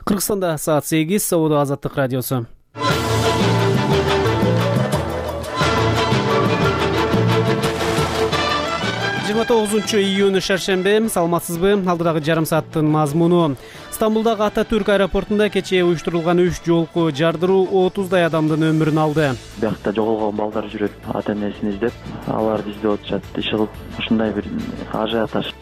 Кыргызстанда саат 8, Соода Азаттык радиосу. июнь шаршембе. Саламатсызбы? Алдыдагы жарым сааттын мазмуну. Стамбулдагы Ататүрк аэропортунда кечээ уюштурулган 3 жолку жардыруу 30дай адамдын өмүрүн алды. Биякта жоголгон балдар жүрөт, ата-энесин издеп, аларды издеп атышат. Иш кылып, ушундай бир ажиотаж.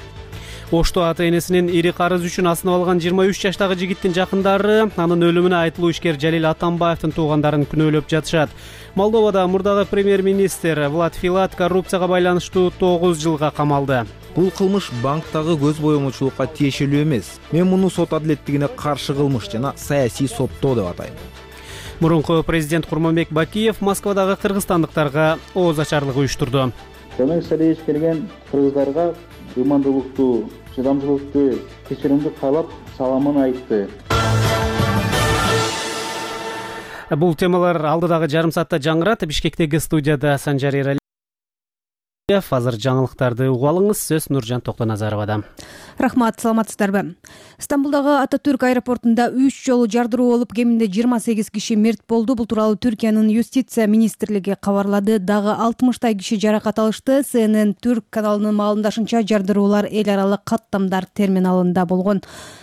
Ошто ата-энесинин ири карыз үчүн асынып алган 23 жаштагы жигиттин жакындары анын өлүмүнө айтылуу ишкер Жалил Атамбаевдин туугандарын күнөөлөп жатышат. Молдовада мурдагы премьер-министр Влад Филат коррупцияга байланыштуу 9 жылга камалды. Бул кылмыш банктагы көз боомочулукка тиешелүү эмес. Мен муну сот адилеттигине каршы кылмыш жана саясий соттоо деп атайм. Мурунку президент Курманбек Бакиев Москвадагы кыргызстандыктарга ооз ачарлык уюштурду. Көмөк салыш келген кыргыздарга ыймандуулукту, чыдамдуулукту, кечиримди каалап саламын айтты. Бул темалар алдыдагы жарым саатта жаңырат. Бишкектеги студияда Санжар Эралиев. Азыр жаңылыктарды угуп алыңыз. Сөз Нуржан Токтоназаровада. Рахмат, саламатсыздарбы? Стамбулдагы Ататүрк аэропортунда 3 жолу жардыруу болуп, кеминде 28 киши мерт болду. Бул тууралуу Түркиянын юстиция министрлиги кабарлады. Дагы 60 киши жаракат алышты. CNN Түрк каналынын маалымдашынча, жардыруулар эл аралык каттамдар терминалында болгон.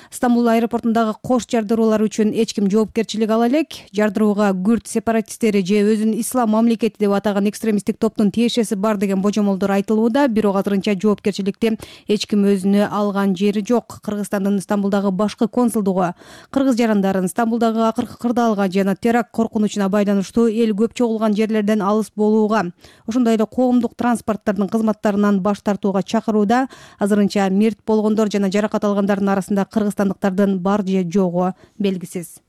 Стамбул аэропортундагы кош жардыруулар үчүн эч ким жоопкерчилик ала элек. Жардырууга күрд сепаратисттери же өзүн ислам мамлекети деп атаган экстремисттик топтун тиешеси бар деген божомолдор айтылууда. Бирок азырынча жоопкерчиликти эч ким өзүнө алган жери жок. Кыргызстандын Стамбулдагы башкы консулдугу кыргыз жарандарын Стамбулдагы акыркы кырдаалга жана теракт коркунучуна байланыштуу эл көп чогулган жерлерден алыс болууга, ошондой эле коомдук транспорттардын кызматтарынан баш тартууга чакырууда. Азырынча мерт болгондор жана жаракат алгандардын арасында кыргызстандыктардын бар же жогу белгисиз.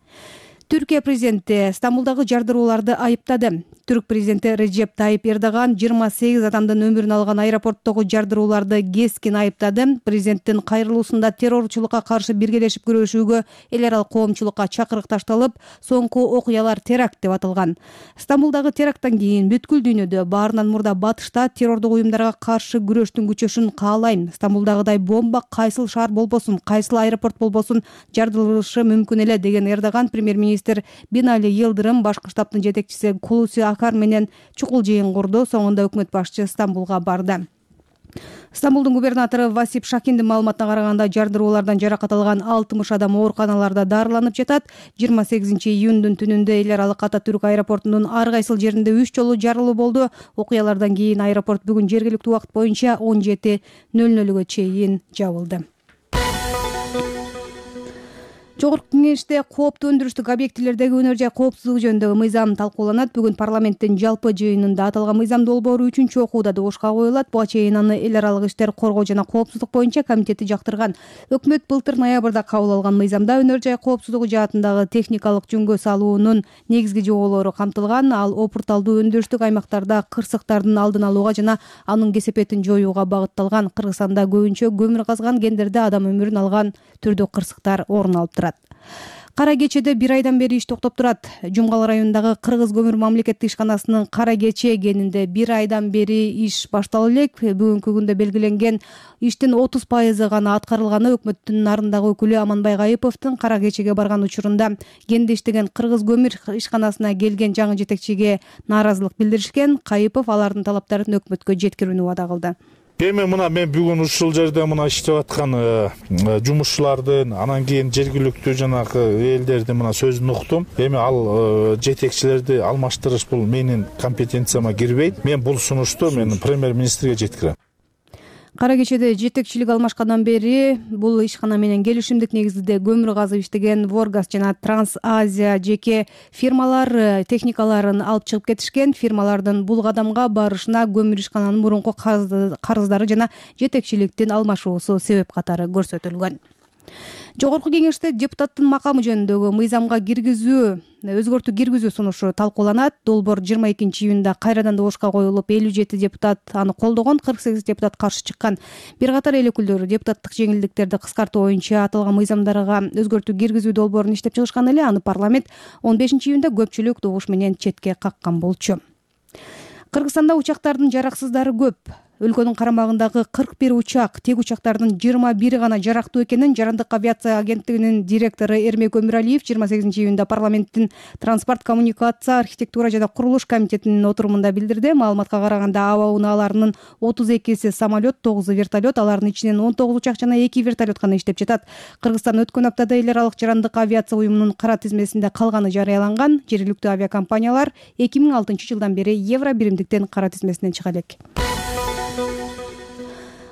Түркия президенти Стамбулдагы жардырууларды айыптады. Түрк президенти Реджеп Тайип Эрдоган 28 адамдын өмүрүн алган аэропорттогу жардырууларды кескин айыптады. Президенттин кайрылуусунда террорчулукка каршы биргелешип күрөшүүгө эл аралык коомчулукка чакырык ташталып, соңку окуялар теракт деп аталган. Стамбулдагы теракттан кийин бүткүл дүйнөдө баарынан мурда батышта террордук уюмдарга каршы күрөштүн күчөшүн каалайм. Стамбулдагыдай бомба кайсыл шаар болбосун, кайсыл аэропорт болбосун жардырылышы мүмкүн эле деген Эрдоган премьер-министр Бинали Йылдырым, башкы штабтын жетекчиси Кулуси Акар менен чукул жыйын курду. Соңунда өкмөт башчы Стамбулга барды. Стамбулдун губернатору Васип Шакиндин маалыматына караганда, жардыруулардан жаракат алган 60 адам ооруканаларда дарыланып жатат. 28 июндун түнүндө эл аралык Ататүрк аэропортунун ар кайсыл жеринде 3 жолу жарылуу болду. Окуялардан кийин аэропорт бүгүн жергиликтүү убакыт боюнча 17:00 чейин жабылды. Жогорку кеңеште кооптуу өндүрүштүк объектилердеги өнөр жай коопсуздугу жөнүндөгү мыйзам талкууланат. Бүгүн парламенттин жалпы жыйынында аталган мыйзам долбоору 3-чү окууда добушка коюлат. Буга чейин аны эл аралык иштер коргоо жана коопсуздук боюнча комитети жактырган. Өкмөт былтыр ноябрда кабыл алган мыйзамда өнөр жай коопсуздугу жаатындагы техникалык жөнгө салуунун негизги жоболору камтылган. Ал опурталдуу өндүрүштүк аймактарда кырсыктардын алдын алууга жана анын кесепетин жоюуга багытталган. Кыргызстанда көбүнчө көмүр казган кендерде адам өмүрүн алган түрдүү кырсыктар орун алып турат. Кара кечеде 1 айдан бери иш токтоп турат. Жумгал районундагы Кыргыз көмүр мамлекеттик ишканасынын Кара кече кенинде 1 айдан бери иш башталып элек. Бүгүнкү күндө белгиленген иштин 30% гана аткарылганы өкмөттүн нарындагы өкүлү Аманбай Кайыповдун Кара кечеге барган учурунда кенде иштеген Кыргыз көмүр ишканасына келген жаңы жетекчиге нааразылык билдиришкен. Кайыпов алардын талаптарын өкмөткө жеткирүүнү убада кылды. Эми мен бүгүн ушул жерде иштеп аткан жумушчулардын, анан кийин жергиликтүү жанагы элдердин сөзүн уктум. Эми ал жетекчилерди алмаштырыш бул менин компетенцияма кирбейт. Мен бул сунушту премьер-министрге жеткирем. Кара кечеде жетекчилик алмашкандан бери бул ишкана менен келишимдик негизде көмүр казып иштеген Воргаз жана Транс Азия жеке фирмалар техникаларын алып чыгып кетишкен. Фирмалардын бул кадамга барышына көмүр ишкананын мурунку карыздары жана жетекчиликтин алмашуусу себеп катары көрсөтүлгөн. Жогорку кеңеште депутаттын макамы жөнүндөгү мыйзамга өзгөртүү киргизүү сунушу талкууланат. Долбоор 22 июнда кайрадан добушка коюлуп, 57 депутат аны колдогон, 48 депутат каршы чыккан. Бир катар эл өкүлдөрү депутаттык жеңилдиктерди кыскартуу боюнча аталган мыйзамдарга өзгөртүү киргизүү долбоорун иштеп чыгышкан эле. Аны парламент 15 июнда көпчүлүк добуш менен четке каккан болчу. Кыргызстанда учактардын жараксыздары көп. өлкөнүн карамагындагы 41 учак, тек учактардын 21 гана жарактуу экенин Жарандык авиация агенттигинин директору Эрмек Өмүралиев 28-июнда парламенттин транспорт, коммуникация, архитектура жана курулуш комитетинин отурумунда билдирди. Маалыматка караганда аба унааларынын 32си самолет, 9 вертолет, алардын ичинен 19 учак жана 2 вертолет гана иштеп жатат. Кыргызстан өткөн аптада эл аралык Жарандык авиация уюмунун кара тизмесинде калганы жарыяланган. Жергиликтүү авиакомпаниялар 2006-жылдан бери евро биримдиктен кара тизмесинен чыга элек.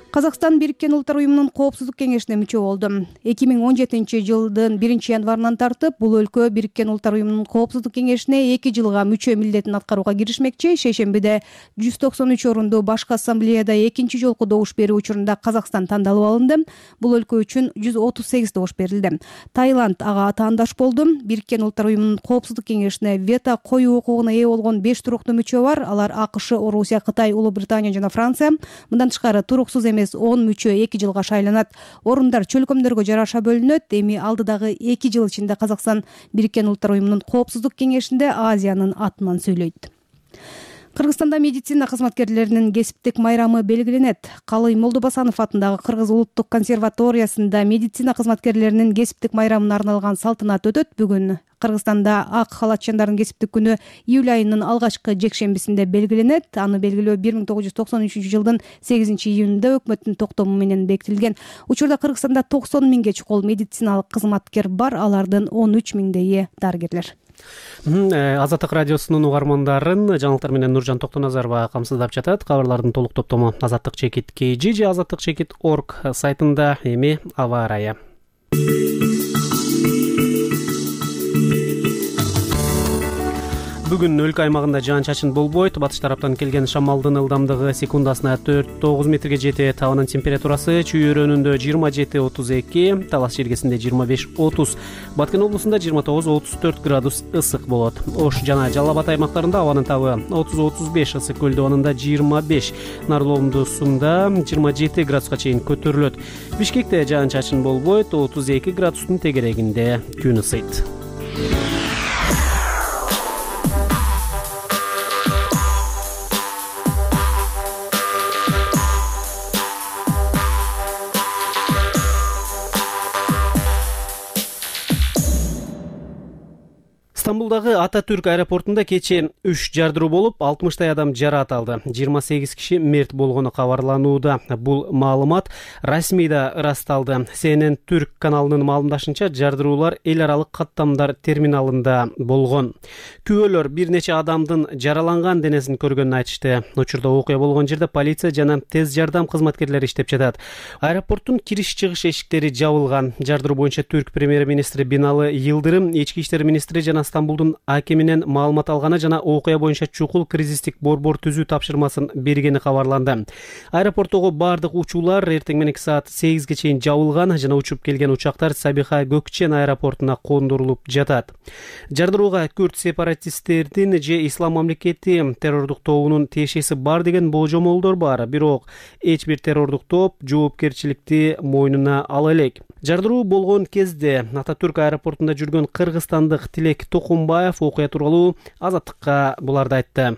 Казакстан Бириккен Улуттар уюмунун коопсуздук кеңешине мүчө болду. 2017-жылдын 1-январынан тартып бул өлкө Бириккен Улуттар уюмунун коопсуздук кеңешине 2 жылга мүчө милдетин аткарууга киришмекчи. Шейшембиде 193 орунду башкы ассамблеяда экинчи жолку добуш берүү учурунда Казакстан тандалып алынды. Бул өлкө үчүн 138 добуш берилди. Таиланд ага атаандаш болду. Бириккен Улуттар уюмунун коопсуздук кеңешине вето коюу укугуна ээ болгон 5 туруктуу мүчө бар. Алар АКШ, Орусия, Кытай, Улуу Британия жана Франция. Мындан тышкары туруксуз эмес 10 мүчө 2 жылга шайланат. Орундар чөлкөмдөргө жараша бөлүнөт. Эми алдыдагы 2 жыл ичинде Казакстан Бириккен Улуттар уюмунун коопсуздук кеңешинде Азиянын атынан сүйлөйт. Кыргызстанда медицина кызматкерлеринин кесиптик майрамы белгиленет. Калый Молдобасанов атындагы Кыргыз улуттук консерваториясында медицина кызматкерлеринин кесиптик майрамына арналган салтанат өтөт. Бүгүн Кыргызстанда ак халатчандардын кесиптик күнү июль айынын алгачкы жекшембисинде белгиленет. Аны белгилөө 1993-жылдын 8-июнунда өкмөттүн токтому менен бекитилген. Учурда Кыргызстанда 90 миңге чукул медициналык кызматкер бар, алардын 13 миңдейи дарыгерлер. Азаттык радиосунун угармандарын жаңылыктар менен Нуржан Токтоназарова камсыздап жатат. Кабарлардын толук топтому azattik.kg же azattik.org сайтында. Эми аба ырайы. Бүгүн өлкө аймагында жаан-чачын болбойт. Батыш тараптан келген шамалдын ылдамдыгы секундасына 4-9 метрге жетет. Абанын температурасы Чүй өрөөнүндө 27-32, Талас жергесинде 25-30, Баткен облусунда 29-34 градус ысык болот. Ош жана Жалал Абад аймактарында абанын табы 30-35, Ысык көлдө абанында 25, Нарлоомдусунда 27 градуска чейин көтөрүлөт. Бишкекте жаан-чачын болбойт, 32 градустун тегерегинде күн ысыйт. Стамбулдагы Ататүрк аэропортунда кечээ 3 жардыруу болуп, 60 адам жараат алды. 28 киши мерт болгону кабарланууда. Бул маалымат расмийда ырасталды. CNN Түрк каналынын маалымдашынча, жардыруулар эл аралык каттамдар терминалында болгон. Күбөлөр бир нече адамдын жараланган денесин көргөнүн айтышты. Учурда окуя болгон жерде полиция жана тез жардам кызматкерлери иштеп жатат. Аэропорттун кириш-чыгыш эшиктери жабылган. Жардыруу боюнча Түрк премьер-министри Биналы Йылдырым, ички иштер министри жана Стамбулдун акиминен маалымат алганы жана окуя боюнча чукул кризистик борбор түзүү тапшырмасын бергени кабарланды. Аэропорттогу бардык учуулар эртең мененки саат 8ге чейин жабылган жана учуп келген учактар Сабиха Көкчен аэропортуна кондурулуп жатат. Жардырууга күрд сепаратисттердин же Ислам мамлекети террордук тобунун тиешеси бар деген болжомолдор бар, бирок эч бир террордук топ жоопкерчиликти мойнуна ала элек. Жардыруу болгон кезде Ататүрк аэропортунда жүргөн кыргызстандык Тилек Токумбаев окуя тууралуу Азаттыкка буларды айтты.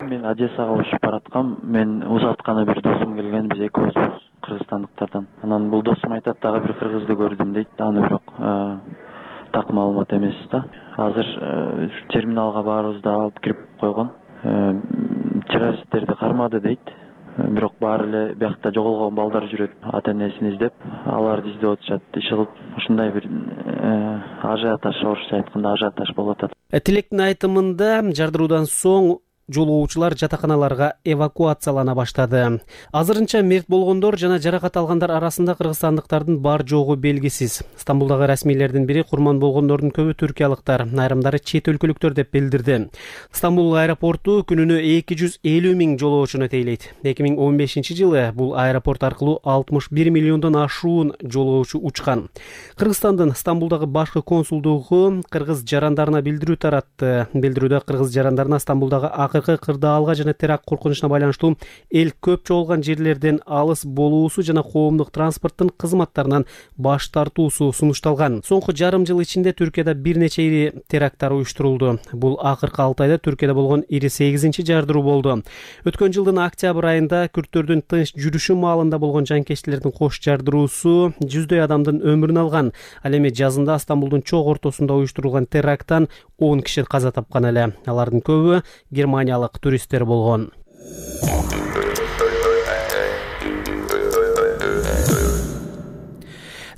Мен Одессага учуп бараткам. Мен узатканы бир досум келген, биз экөөбүз кыргызстандыктардан. Анан бул досум айтат, дагы бир кыргызды көрдүм дейт. Аны бирок так маалымат эмес да. Азыр терминалга баарыбызды алып кирип койгон. Террористтерди кармады дейт. Бирок баары эле биякта жоголгон балдар жүрөт, ата-энесин издеп, аларды издеп атышат. Иш кылып ушундай бир ажиотаж, орусча айтканда ажиотаж болуп атат. Тилектин айтымында жардыруудан соң жолоочулар жатаканаларга эвакуациялана баштады. Азырынча мерт болгондор жана жаракат алгандар арасында кыргызстандыктардын бар жогу белгисиз. Стамбулдагы расмийлердин бири курман болгондордун көбү түркиялыктар, айрымдары чет өлкөлүктөр деп билдирди. Стамбул аэропорту күнүнө 250 миң жолоочуну тейлейт. 2015-жылы бул аэропорт аркылуу 61 миллиондон ашуун жолоочу учкан. Кыргызстандын Стамбулдагы башкы консулдугу кыргыз жарандарына билдирүү таратты. Билдирүүдө кыргыз жарандарына Стамбулдагы акыркы азыркы кырдаалга жана теракт коркунучуна байланыштуу эл көп чогулган жерлерден алыс болуусу жана коомдук транспорттун кызматтарынан баш тартуусу сунушталган. Соңку жарым жыл ичинде Түркияда бир нече ири теракттар уюштурулду. Бул акыркы 6 айда Түркияда болгон ири 8-чи жардыруу болду. Өткөн жылдын октябрь айында күрттөрдүн тынч жүрүшү маалында болгон жанкечтилердин кош жардыруусу жүздөй адамдын өмүрүн алган. Ал эми жазында Стамбулдун чок ортосунда уюштурулган теракттан 10 киши каза тапкан эле. Алардын көбү германиялык туристтер болгон.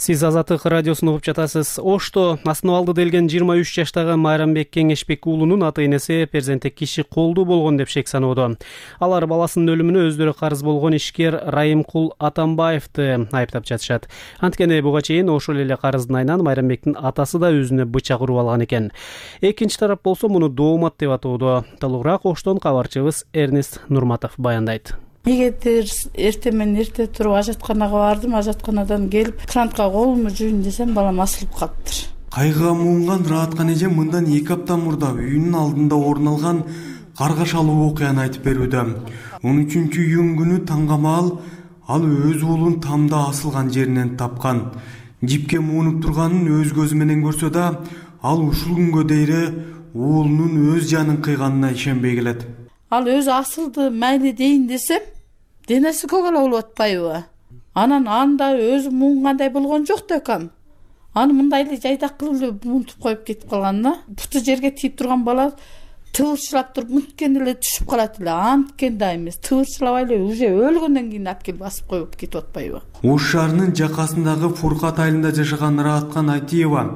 Сиз Азаттык радиосун угуп жатасыз. Ошто аснабалды делген 23 жаштагы Майрамбек Кеңешбек уулунун ата-энеси перзенти киши колдуу болгон деп шек саноодо. Алар баласынын өлүмүнө өздөрү карыз болгон ишкер Райымкул Атамбаевди айыптап жатышат. Анткени буга чейин ошол эле карыздын айынан Майрамбектин атасы да өзүнө бычак уруп алган экен. Экинчи тарап болсо муну доомат деп атоодо. Толугураак Оштон кабарчыбыз Эрнест Нурматов баяндайт. Эгерде эрте туруп ажатканага бардым, ажатканадан келип крантка колумду жуйын десем, балам асылып калыптыр. Кайгыга муунган Рааткан эже мындан 2 апта мурда үйүнүн алдында орун алган каргашалуу окуяны айтып берүүдө. 13-июнь күнү таңгамаал ал өз уулун тамда асылган жеринен тапкан. Жипке муунуп турганын өз көзү менен көрсө да, ал ушул күнгө дейре уулунун өз жанын кыйганына ишенбей келет. Ал өзү асылды майли дейин десем, денеси көгала болуп атпайбы? Анан анда өзү муунгандай болгон жок да экем. Аны мындай эле жайдак кылып эле мунтуп коюп кетип калганына, буту жерге тийип турган бала тыбырчылап туруп мынткенде эле түшүп калат эле. Анткени да эмес, тыбырчылабай эле уже өлгөндөн кийин алып келип басып коюп кетип атпайбы? Ош шаарынын жакасындагы Фуркат айылында жашаган Рааткан Айтиева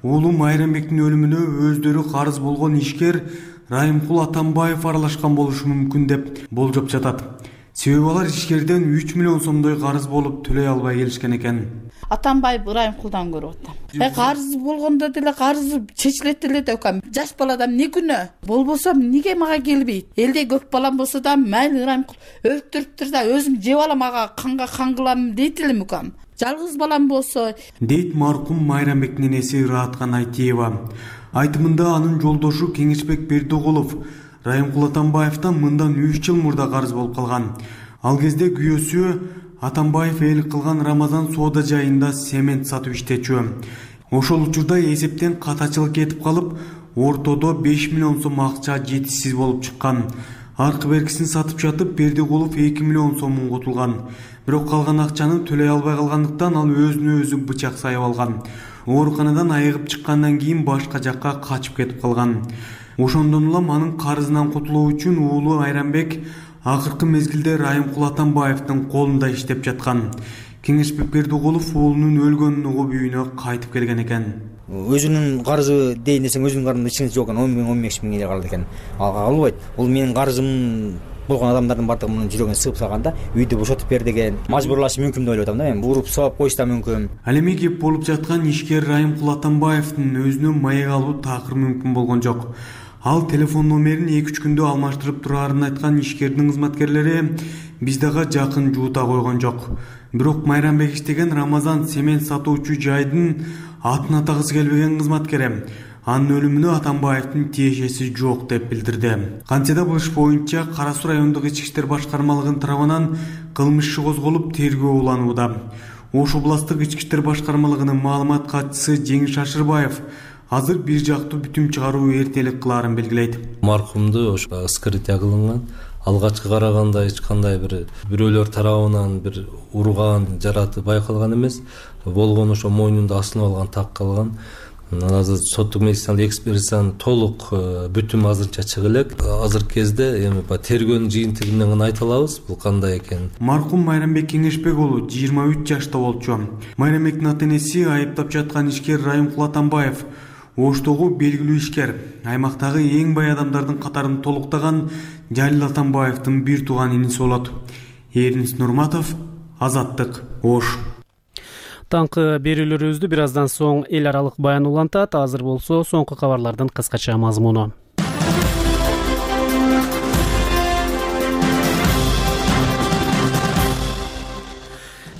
уулу Майрамбектин өлүмүнө өздөрү карыз болгон ишкер Райымкул Атамбаев аралашкан болушу мүмкүн деп болжоп жатат. Себеби алар ишкерден 3 миллион сомдой карыз болуп төлөй албай келишкен экен. Атамбаев Райымкулдан көрүп атам. Карыз болгондо деле карызы чечилет эле деп атам. Жаш баладан эмне күнөө? Болбосо эмнеге мага келбейт? Элде көп балам болсо да майли Райымкул өлтүрүптүр да өзүм жеп алам, ага канга кан кылам дейт элем укам. Жалгыз балам болсо, дейт маркум Майрамбектин энеси Рааткан Айтиева. Айтымында анын жолдошу Кеңешбек Бердоголов Райымкул Атамбаевден мындан 3 жыл мурда карыз болуп калган. Ал кезде күйөөсү Атамбаев эл кылган Рамазан соода жайында семент сатып иштечү. Ошол учурда эсептен катачылык кетип калып, ортодо 5 миллион сом акча жетишсиз болуп чыккан. Аркы беркисин сатып жатып Бердоголов 2 миллион сомун котулган. Бирок калган акчаны төлөй албай калгандыктан ал өзүнө өзү бычак сайып алган. Ооруканадан айыгып чыккандан кийин башка жакка качып кетип калган. Ошондон улам анын карызынан кутулуу үчүн уулу Майрамбек акыркы мезгилде Райымкул Атамбаевдин колунда иштеп жаткан. Кеңешбек Бердоголов уулунун өлгөнүн угуп үйүнө кайтып келген экен. Өзүнүн карызы дейин десең, өзүнүн карызында ичиңиз жок экен, 10 миң 15 миң эле калды экен. Ага албайт. Бул менин карызым болгон адамдардын бардыгы мунун жүрөгүнө сыгып салганда, үйдү бошотуп бер деген мажбурлашы мүмкүн деп ойлоп атам да. Мен уруп сабап коюшу да мүмкүн. Ал эми кеп болуп жаткан ишкер Райымкул Атамбаевдин өзүнө маек алуу такыр мүмкүн болгон жок. Ал телефон номерин 2-3 күндө алмаштырып турарын айткан ишкердин кызматкерлери биз дагы жакын жуута койгон жок. Бирок Майрамбек иштеген Рамазан семент сатуучу жайдын атын атагысы келбеген кызматкери анын өлүмүнө Атамбаевдин тиешеси жок деп билдирди. Кантсе да бул иш боюнча Кара Суу райондук ички иштер башкармалыгынын тарабынан кылмыш иши козголуп тергөө уланууда. Ош областтык ички иштер башкармалыгынын маалымат катчысы Жеңиш Ашырбаев азыр бир жактуу бүтүм чыгаруу эртелик кылаарын белгилейт. Маркумду ошо скрытие кылынган. Алгачкы караганда эч кандай бирөөлөр тарабынан бир урган, жараты байкалган эмес. Болгон ошо мойнунда асылып алган так калган. Азыр соттук медициналык экспертизанын толук бүтүмү азырынча чыга элек. Азыркы кезде эми тергөөнүн жыйынтыгы менен айта алабыз бул кандай экенин. Маркум Майрамбек Кеңешбек уулу 23 жашта болчу. Майрамбектин ата-энеси айыптап жаткан ишкер Райымкул Атамбаев Оштогу белгилүү ишкер, аймактагы эң бай адамдардын катарын толуктаган Жалил Атамбаевдин бир тууган иниси болот. Эрнис Нурматов, Азаттык, Ош. Таңкы берүүлөрүбүздү бир аздан соң эл аралык баян улантат. Азыр болсо соңку кабарлардын кыскача мазмуну.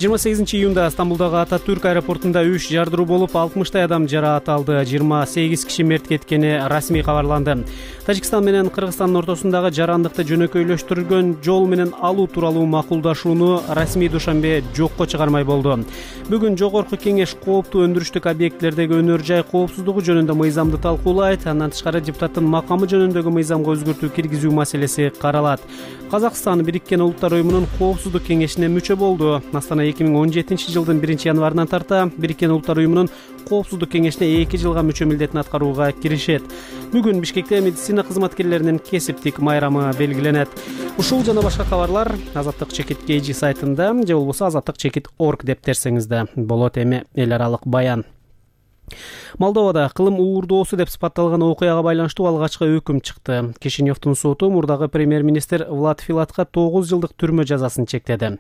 28-июнда Стамбулдагы Ататүрк аэропортунда 3 жардыруу болуп, 60 адам жараат алды, 28 киши мерт кеткени расмий кабарланды. Тажикстан менен Кыргызстандын ортосундагы жарандыкты жөнөкөйлөштүргөн жол менен алуу тууралуу макулдашууну расмий душанбе жокко чыгармай болду. Бүгүн Жогорку Кеңеш кооптуу өндүрүштүк объектилердеги өнөр жай коопсуздугу жөнүндө мыйзамды талкуулайт. Андан тышкары депутаттын макамы жөнүндөгү мыйзамга өзгөртүү киргизүү маселеси каралат. Казакстан Бириккен Улуттар уюмунун коопсуздук кеңешине мүчө болду. Астана 2017-жылдын 1-январынан тарта Бириккен Улуттар уюмунун коопсуздук кеңешине 2 жылга мүчө милдетин аткарууга киришет. Бүгүн Бишкекте медицина кызматкерлеринин кесиптик майрамы белгиленет. Ушул жана башка кабарлар Азаттык чекит KG сайтында же болбосо azаттык.org деп терсеңизде болот. Эми эл аралык баян. Молдовада кылым уурдоосу деп сыпатталган окуяга байланыштуу алгачкы өкүм чыкты. Кишиневдин соту мурдагы премьер-министр Влад Филатка 9 жылдык түрмө жазасын чектеди.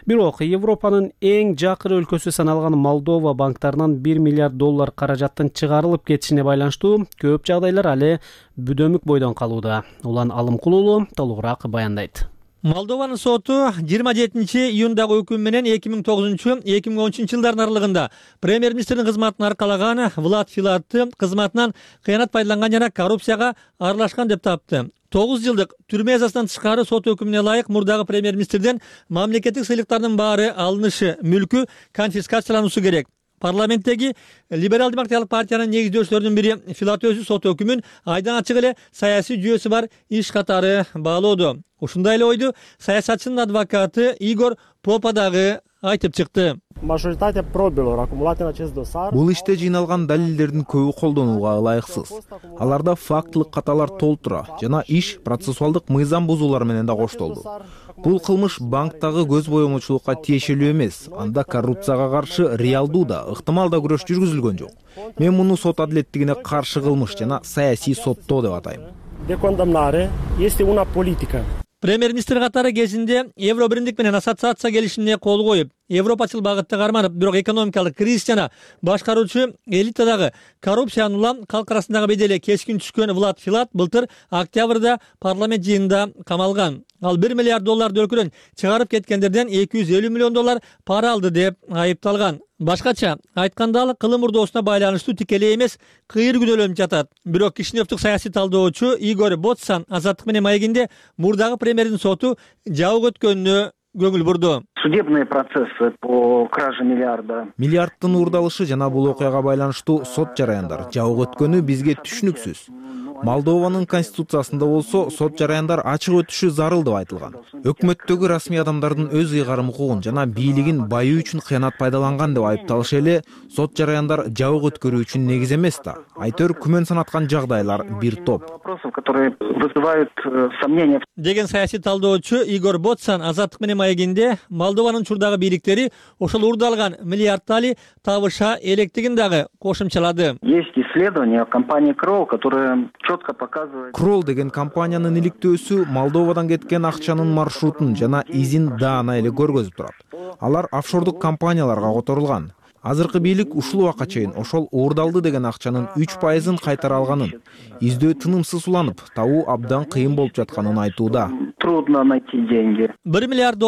Бирок Европанын эң жакыр өлкөсү саналган Молдова банктарынан $1 миллиард каражаттын чыгарылып кетишине байланыштуу көп жагдайлар али бүдөмүк бойдон калууда. Улан Алымкулулу толугураак баяндайт. Молдованын соту 27-июндагы өкүм менен 2009-2013 жылдардын аралыгында премьер-министрдин кызматын аркалаган Влад Филатты кызматынан кыянат пайдаланган жана коррупцияга аралашкан деп тапты. 9 жылдык түрмө жазасынан тышкары сот өкүмүнө ылайык мурдагы премьер-министрден мамлекеттик сыйлыктардын баары алынышы, мүлкү конфискациялануусу керек. Парламенттеги либерал-демократиялык партиянын негиздөөчүлөрүнүн бири Филат өзү сот өкүмүн айдан ачык эле саясий жүйөсү бар иш катары баалоодо. Ушундай эле ойду саясатчынын адвокаты Игор Попа дагы айтып чыкты. Бул иште жыйналган далилдердин көбү колдонууга ылайыксыз. Аларда фактылык каталар толтура жана иш процессуалдык мыйзам бузуулар менен да коштолду. Бул кылмыш банктагы көз боёмочулукка тиешелүү эмес, анда коррупцияга каршы реалдуу да, ыктымал да күрөш жүргүзүлгөн жок. Мен муну сот адилеттигине каршы кылмыш жана саясий соттоо деп атайм. Премьер-министр катары кезинде Евро биримдик менен ассоциация келишимине кол коюп, европачыл багытта карманып, бирок экономикалык кризис жана башкаруучу элитадагы коррупцияны улам калк арасындагы бедели кескин түшкөн Влад Филат былтыр октябрда парламент жыйынында камалган. Ал $1 миллиард өлкөдөн чыгарып кеткендерден $250 миллион пара алды деп айыпталган. Башкача айтканда ал кылым уурдоосуна байланыштуу тикелей эмес кыйыр күнөөлөнүп жатат. Бирок Кишиневдик саясий талдоочу Игор Ботсан Азаттык менен маегинде мурдагы премьердин соту жабык өткөнүнө көңүл бурду. Судебные процессы по краже миллиарда. Миллиардтын уурдалышы жана бул окуяга байланыштуу сот жараяндар жабык өткөнү бизге түшүнүксүз. Молдованын конституциясында болсо сот жараяндар ачык өтүшү зарыл деп айтылган. Өкмөттөгү расмий адамдардын өз ыйгарым укугун жана бийлигин байуу үчүн кыянат пайдаланган деп айыпталышы эле сот жараяндар жабык өткөрүү үчүн негиз эмес да. Айтор күмөн санаткан жагдайлар бир топ. Деген саясий талдоочу Игор Ботсан Азаттык менен маегинде Молдованын учурдагы бийликтери ошол уурдалган миллиардтали табыша электигин дагы кошумчалады. Есть исследование компании Kroll, которое четко показывает. Kroll деген компаниянын иликтөөсү Молдовадан кеткен акчанын маршрутун жана изин даана эле көргөзүп турат. Алар офшордук компанияларга которулган. Азыркы бийлик ушул убакка чейин ошол уурдалды деген акчанын 3%-ын кайтара алганын, издөө тынымсыз уланып, табуу абдан кыйын болуп жатканын айтууда. Трудно найти деньги. $1 миллиард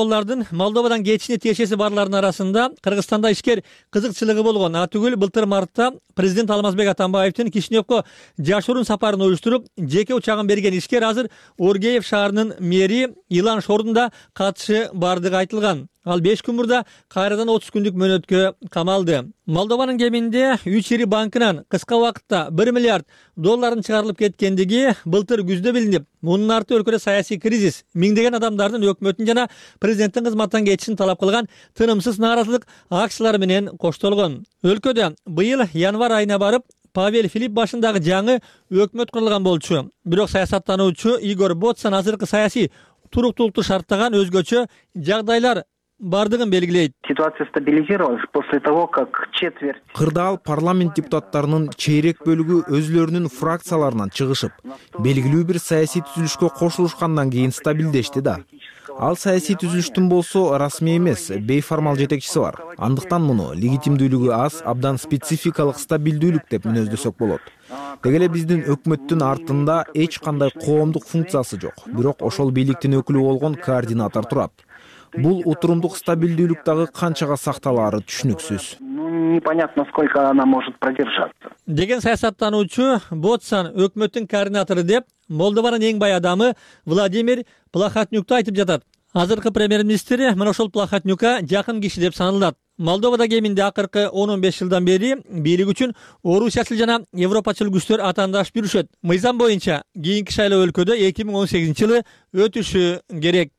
Молдовадан кетишине тиешеси барлардын арасында Кыргызстанда ишкер кызыкчылыгы болгон. Атүгүл былтыр мартта президент Алмазбек Атамбаевдин Кишиневко жашыруун сапарын уюштуруп, жеке учагын берген ишкер азыр Оргеев шаарынын мэри Илан Шордунда катышы бардыгы айтылган. Ал 5 күн мурда кайрадан 30 күндүк мөөнөткө камалды. Молдованын кеминде 3 ири банкынан кыска убакытта $1 миллиард чыгарылып кеткендиги былтыр күздө билинип, мунун арты өлкөдө саясий кризис, миңдеген адамдардын өкмөттүн жана президенттин кызматтан кетишин талап кылган тынымсыз нааразылык акциялары менен коштолгон. Өлкөдө быйыл январь айына барып Павел Филипп башындагы жаңы өкмөт курулган болчу. Бирок саясаттануучу Игор Ботсан азыркы саясий туруктуулукту шарттаган өзгөчө жагдайлар бардыгын белгилейт. Ситуация стабилизировалась после того, как четверть. Кырдаал парламент депутаттарынын чейрек бөлүгү өзүлөрүнүн фракцияларынан чыгышып, белгилүү бир саясий түзүлүшкө кошулушкандан кийин стабилдешти да. Ал саясий түзүлүштүн болсо расмий эмес, бейформал жетекчиси бар. Андыктан муну легитимдүүлүгү аз, абдан спецификалык стабилдүүлүк деп мүнөздөсөк болот. Деги эле биздин өкмөттүн артында эч кандай коомдук функциясы жок, бирок ошол бийликтин өкүлү болгон координатор турат. Бул отурумдук стабилдүүлүк дагы канчага сакталаары түшүнүксүз. Непонятно, сколько она может продержаться. Деген саясаттануучу Ботсан өкмөттүн координатору деп Молдованын эң бай адамы Владимир Плахотнюкту айтып жатат. Азыркы премьер-министр мына ошол Плахотнюкка жакын киши деп саналат. Молдовада кеминде акыркы 10-15 жылдан бери бийлик үчүн орусиячыл жана европачыл күчтөр атаандашып жүрүшөт. Мыйзам боюнча кийинки шайлоо өлкөдө 2018-жылы өтүшү керек.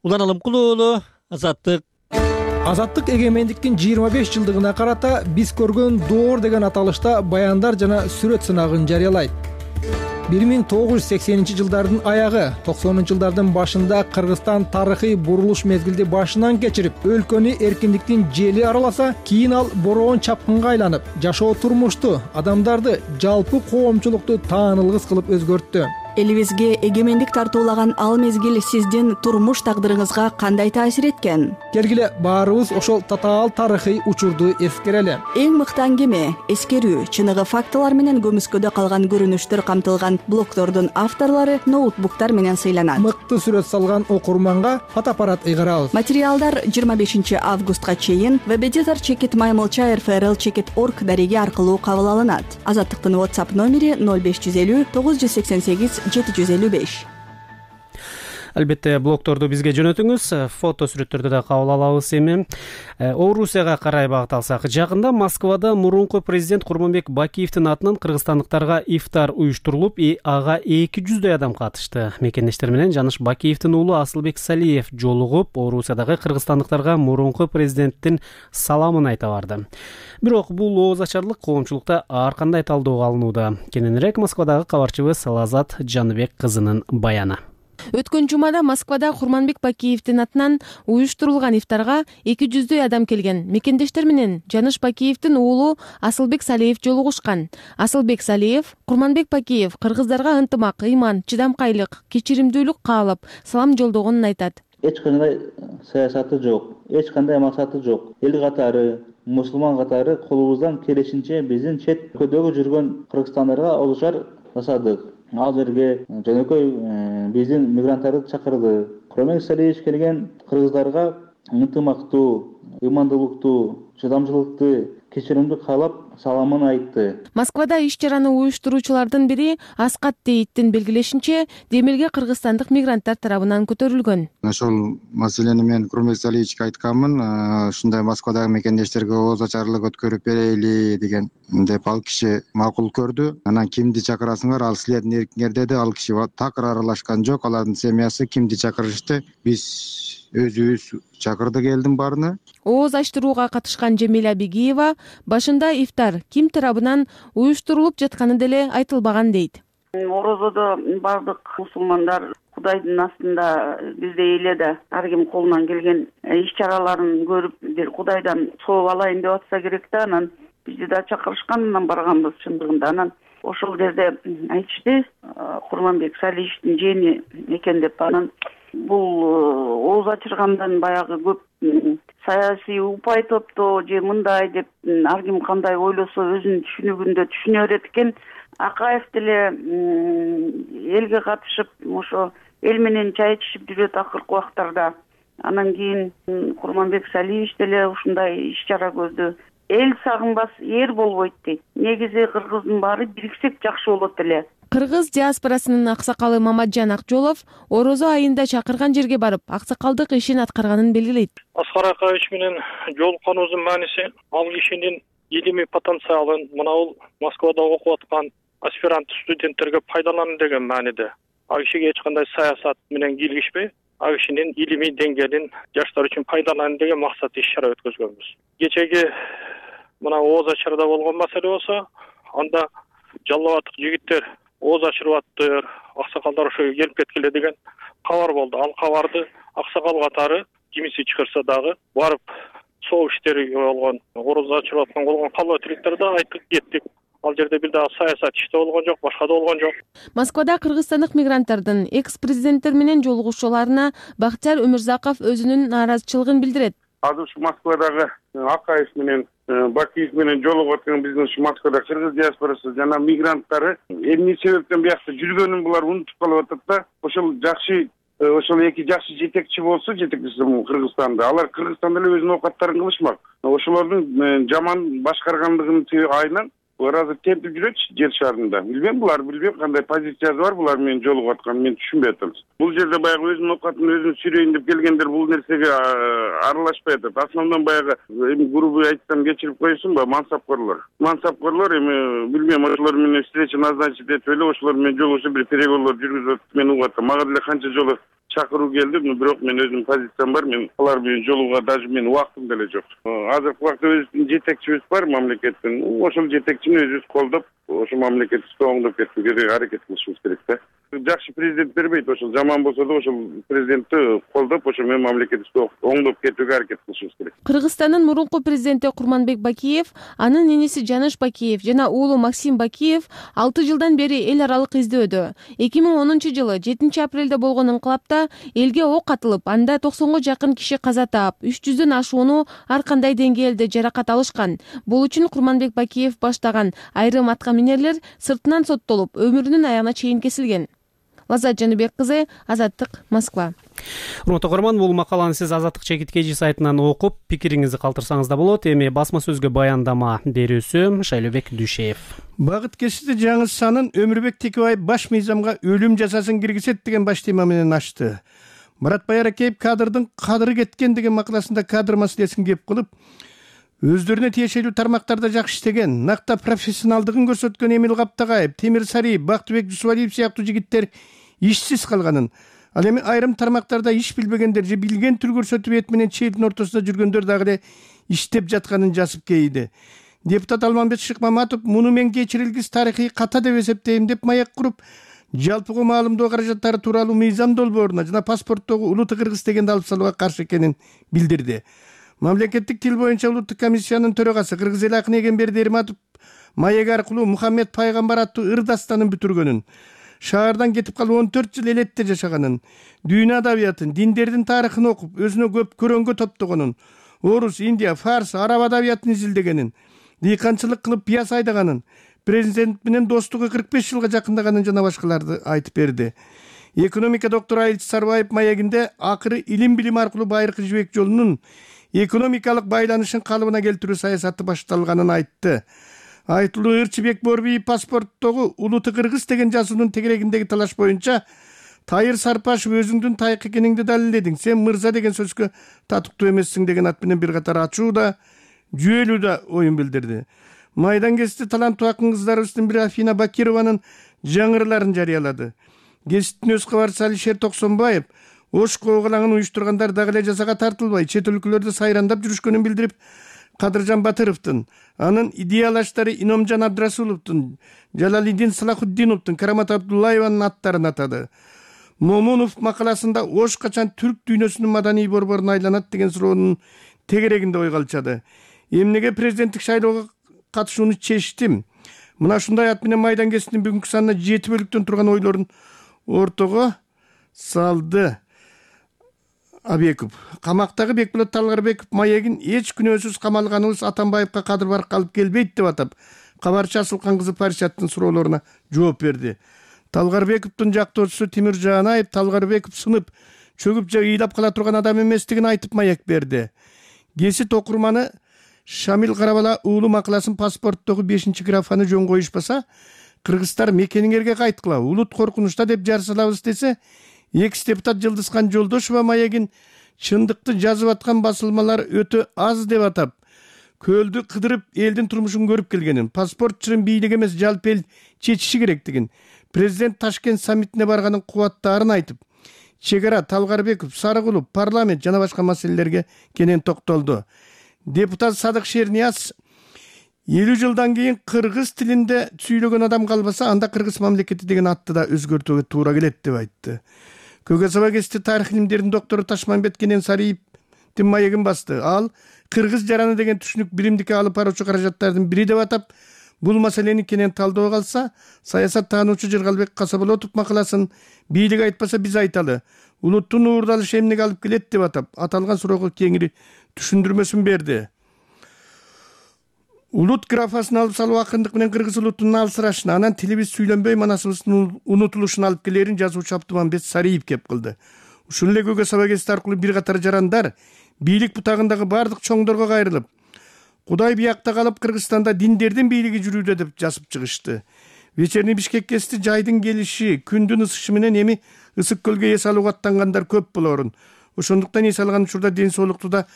Улан Алымкулуу уулу, Азаттык. Азаттык эгемендиктин 25 жылдыгына карата биз көргөн доор деген аталышта баяндар жана сүрөт сынагын жарыялайт. 1980-жылдардын аягы, 90-жылдардын башында Кыргызстан тарыхый бурулуш мезгилди башынан кечирип, өлкөнү эркиндиктин жели араласа, кийин ал бороон чапкынга айланып, жашоо турмушту, адамдарды, жалпы коомчулукту таанылгыс кылып өзгөрттү. Элибизге эгемендик тартуулаган ал мезгил сиздин турмуш тагдырыңызга кандай таасир эткен? Келгиле баарыбыз ошол татаал тарыхый учурду эскерели. Эң мыкты аңгеме, эскерүү, чыныгы фактылар менен көмүскөдө калган көрүнүштөр камтылган блогтордун авторлору ноутбуктар менен сыйланат. Мыкты сүрөт салган окурманга фотоаппарат ыйгарабыз. Материалдар 25 августка чейин www.chekit.org дареги аркылуу кабыл алынат. Азаттыктын WhatsApp номери 0550 988 755. Албетте блогторду бизге жөнөтүңүз, фото сүрөттөрдү да кабыл алабыз. Эми Орусияга карай багыт алсак, жакында Москвада мурунку президент Курманбек Бакиевдин атынан кыргызстандыктарга ифтар уюштурулуп, ага 200дөй адам катышты. Мекендештер менен Жаныш Бакиевдин уулу Асылбек Салиев жолугуп, Орусиядагы кыргызстандыктарга мурунку президенттин саламын айта барды. Бирок бул ооз ачарлык коомчулукта ар кандай талдоого алынууда. Кененирээк Москвадагы кабарчыбыз Лазат Жаныбек кызынын баяны. Өткөн жумада Москвада Курманбек Бакиевдин атынан уюштурулган ифтарга 200дөй адам келген. Мекендештер менен Жаныш Бакиевдин уулу Асылбек Салиев жолугушкан. Асылбек Салиев Курманбек Бакиев кыргыздарга ынтымак, ыйман, чыдамкайлык, кечиримдүүлүк каалап, салам жолдогонун айтат. Эч кандай саясаты жок, эч кандай максаты жок. Эл катары, мусулман катары колубуздан келишинче биздин чет өлкөдөгү жүргөн кыргызстандарга олушар жасадык. Ал жерге жөнөкөй биздин мигранттарды чакырды. Курманбек Салиевич келген кыргыздарга ынтымактуу, ыймандуулукту, чыдамчылыкты, кечиримди каалап саламын айтты. Москвада иш-чараны уюштуруучулардын бири Аскат Дейиттин белгилешинче, демилге кыргызстандык мигранттар тарабынан көтөрүлгөн. Ошол маселени мен Курманбек Салиевичке айтканмын, ушундай Москвадагы мекендештерге ооз ачарлык өткөрүп берели деген деп ал киши макул көрдү. Анан кимди чакырасыңар, ал силердин эркиңер деди. Ал киши такыр аралашкан жок, алардын семьясы кимди чакырышты. Биз өзүбүз чакырдык элдин баарына. Ооз ачтырууга катышкан Жемила Бегиева башында ифтар ким тарабынан уюштурулуп жатканы деле айтылбаган дейт. Орозодо бардык мусулмандар Кудайдын астында биздей эле да ар ким колунан келген иш-чараларын көрүп, бир Кудайдан сооп алайын деп атса керек да, анан бизди да чакырышкан, барганбыз чындыгында. Анан ошол жерде айтышты, Курманбек Салиевичтин жээни экен деп. Анан бул ооз ачыргандан баягы көп саясий упай топтоо же мындай деп ар ким кандай ойлосо өзүнүн түшүнүгүндө түшүнө берет экен. Акаев деле элге катышып, ошо эл менен чай ичишип жүрөт акыркы убактарда. Анан кийин Курманбек Салиевич деле ушундай иш-чара көздү. Эл сагынбас эр болбойт дейт. Негизи кыргыздын баары бириксек жакшы болот эле. Кыргыз диаспорасынын аксакалы Мамаджан Акжолов Орозо айында чакырган жерге барып, аксакалдык ишин аткарганын белгилейт. Аскар Акаевич менен жолукканыбыздын мааниси ал кишинин илимий потенциалын мына бул Москвада окуп аткан аспирант студенттерге пайдалануу деген мааниде. Ал кишиге эч кандай саясат менен кийлигишпей, ал кишинин илимий деңгээлин жаштар үчүн пайдалануу деген максат иш-чара өткөзгөнбүз. Кечеги мына ооз ачарда болгон маселе болсо, анда жалал абадтык жигиттер ооз ачырып аксакалдар ошо келип кеткиле деген кабар болду. Ал кабарды аксакал катары кимиси чакырса дагы барып соо иштери болгон, ооз ачырып аткан болгон калба тиликтерди айтып кеттик. Ал жерде бир дагы саясат иште болгон жок, башка да болгон жок. Москвада кыргызстандык мигранттардын экс-президенттер менен жолугушууларына Бактияр Өмүрзаков өзүнүн нааразычылыгын билдирет. Азыр ушу Москвадагы Акаев менен Бакиев менен жолугуп аткан биздин ушу Москвада кыргыз диаспорасы жана мигранттары эмне себептен биякта жүргөнүн булар унутуп калып атат да. Ошол жакшы ошол эки жакшы жетекчи болсо, жетекчиси Кыргызстанда, алар Кыргызстанда эле өзүнүн оокаттарын кылышмак. Ошолордун жаман башкаргандыгын айынан булар азыр темпип жүрөтчү жер шарында. Билбейм, кандай позициясы бар булар менен жолугуп атканын мен түшүнбөй атам. Бул жерде баягы өзүнүн оокатын өзүн сүрөйүн деп келгендер бул нерсеге аралашпай атат. Основном баягы эми грубый айтсам кечирип коесуңбу, мансапкорлор. Мансапкорлор эми билбейм, ошолор менен встреча назначить этип эле ошолор менен жолугушуп бир переговорлор жүргүзүп атат. Мен угуп атам. Мага деле канча жолу чакыруу келди, бирок мен өзүмдүн позициям бар. Мен алар менен жолугууга даже менин убактым деле жок. Азыркы убакта өзүбүздүн жетекчибиз бар мамлекеттин. Ошол жетекчини өзүбүз колдоп, ошо мамлекетти оңдоп кетүүгө аракет кылышыбыз керек да. Жакшы президент бербейт, ошол жаман болсо да ошол президентти колдоп, ошо менен мамлекетти оңдоп кетүүгө аракет кылышыбыз керек. Кыргызстандын мурунку президенти Курманбек Бакиев, анын иниси Жаныш Бакиев жана уулу Максим Бакиев 6 жылдан бери эл аралык издөөдө. 2010-жылы 7-апрелде болгон инкылапта элге ок атылып, анда 90-го жакын киши каза таап, 300дөн ашууну ар кандай деңгээлде жаракат алышкан. Бул үчүн Курманбек Бакиев баштаган айрым атка минерлер сыртынан соттолуп, өмүрүнүн аягына чейин кесилген. Лаззат Жаныбек кызы, Азаттык, Москва. Урматтуу көрөрман, бул макаланы сиз Азаттык чекиткечи сайтынан окуп, пикириңизди калтырсаңыз да болот. Эми басма сөзгө баяндама берүүсү Шайлообек Дүйшеев. Багыт кесиде жаңы санын Өмүрбек Текебаев баш мыйзамга өлүм жазасын киргизет деген баш тема менен ачты. Марат Байракеев кадрдын кадыры кеткен деген макаласында кадр маселесин кеп кылып, өздөрүнө тиешелүү тармактарда жакшы иштеген, накта профессионалдыгын көрсөткөн Эмил Каптагаев, Темир Сариев, Бактыбек Жусубалиев сыяктуу жигиттер ишсиз калганын, ал эми айрым тармактарда иш билбегендер же билген түр көрсөтүп эт менен челдин ортосунда жүргөндөр дагы эле иштеп жатканын жазып кейди. Депутат Алмамбет Шыкмаматов муну мен кечирилгис тарыхый ката деп эсептейм деп маяк куруп, жалпыга маалымдоо каражаттары тууралуу мыйзам долбооруна жана паспорттогу улуттук кыргыз дегенди алып салууга каршы экенин билдирди. Мамлекеттик тил боюнча улуттук комиссиянын төрагасы Кыргыз эл акыны Эгемберди Эрматов маек аркылуу Мухаммед пайгамбар аттуу ыр дастанын бүтүргөнүн, шаардан кетип калып 14 жыл элетте жашаганын, дүйнө адабиятын, диндердин тарыхын окуп, өзүнө көп көрөнгө топтогонун, орус, индия, фарс, араб адабиятын изилдегенин, дыйканчылык кылып пияз айдаганын, президент менен достугу 45 жылга жакындаганын жана башкаларды айтып берди. Экономика доктору Айылчы Сарбаев маегинде акыры илим билим аркылуу байыркы жибек жолунун экономикалык байланышын калыбына келтирүү саясаты башталганын айтты. Айтылуу Ырчыбек Борбиев паспорттогу улуттук кыргыз деген жазуунун тегерегиндеги талаш боюнча Тайыр Сарпашев өзүңдүн тайык экениңди далилдең, сен мырза деген сөзгө татыктуу эмессиң деген ат менен бир катар ачуу да, жүйөлүү да оюн билдирди. Майдан кести таланттуу акын кыздарыбыздын бири Афина Бакированын жаңырыларын жарыялады. Кесиптин өз кабарчысы Алишер Токсонбаев Ош коогалаңын уюштургандар дагы эле жазага тартылбай, чет өлкөлөрдө сайрандап жүрүшкөнүн билдирип, Кадыржан Батыровдун, анын идеялаштары Иномжан Абдрасуловдун, Жалалидин Салахуддиновдун, Карамат Абдуллаеванын аттарын атады. Момунов макаласында Ош качан түрк дүйнөсүнүн маданий борборуна айланат деген суроонун тегерегинде ой калчады. Эмнеге президенттик шайлоого катышууну чечтим? Мына ушундай ат менен майдан кесиптин бүгүнкү санына 7 бөлүктөн турган ойлорун ортого салды. Абеков. Камактагы Бекболот Талгарбеков маегин эч күнөөсүз камалганыбыз Атамбаевка кадыр барып калып келбейт деп атап, кабарчы Асылкан кызы Паришаттын суроолоруна жооп берди. Талгарбековдун жактоочусу Тимир Жаанаев Талгарбеков сынып, чөгүп же ыйлап кала турган адам эместигин айтып маяк берди. Кесит окурманы Шамил Карабала уулу макаласын паспорттогу 5-графаны жөн коюшпаса, кыргыздар мекениңерге кайткыла, улут коркунучта деп жар салабыз десе, экс-депутат Жылдызхан Жолдошова маегин чындыкты жазып аткан басылмалар өтө аз деп атап, көлдү кыдырып элдин турмушун көрүп келгенин, паспорт чырын бийлик эмес жалпы эл чечиши керектигин, президент Ташкент саммитине барганын кубаттаарын айтып, чек ара, Талгарбеков, Сарыгулов, парламент жана башка маселелерге кенен токтолду. Депутат Садык Шернияз 50 жылдан кийин кыргыз тилинде сүйлөгөн адам калбаса, анда кыргыз мамлекети деген атты да өзгөртүүгө туура келет деп айтты. Көкөсаба кести тарых илимдеринин доктору Ташмамбет Кенен Сариевдин маегин басты. Ал кыргыз жараны деген түшүнүк биримдикке алып баруучу каражаттардын бири деп атап, бул маселени кенен талдоо калса, саясат таануучу Жыргалбек Касаболотов макаласын бийлик айтпаса биз айталы, улуттун уурдалышы эмнеге алып келет деп атап, аталган суроого кеңири түшүндүрмөсүн берди. Улут графасын алып салуу акындык менен кыргыз улутунун алсырашына, анан тилибиз сүйлөнбөй манасыбыздын унутулушуна алып келерин жазуучу Абдымамбет Сариев кеп кылды. ушул эле көгө саба кести аркылуу бир катар жарандар бийлик бутагындагы бардык чоңдорго кайрылып, Кудай биякта калып Кыргызстанда диндердин бийлиги жүрүүдө деп жазып чыгышты. Вечерний Бишкек кести жайдын келиши, күндүн ысышы менен эми ысык көлгө эс алууга аттангандар көп болорун. Ошондуктан эс алган учурда ден соолукту да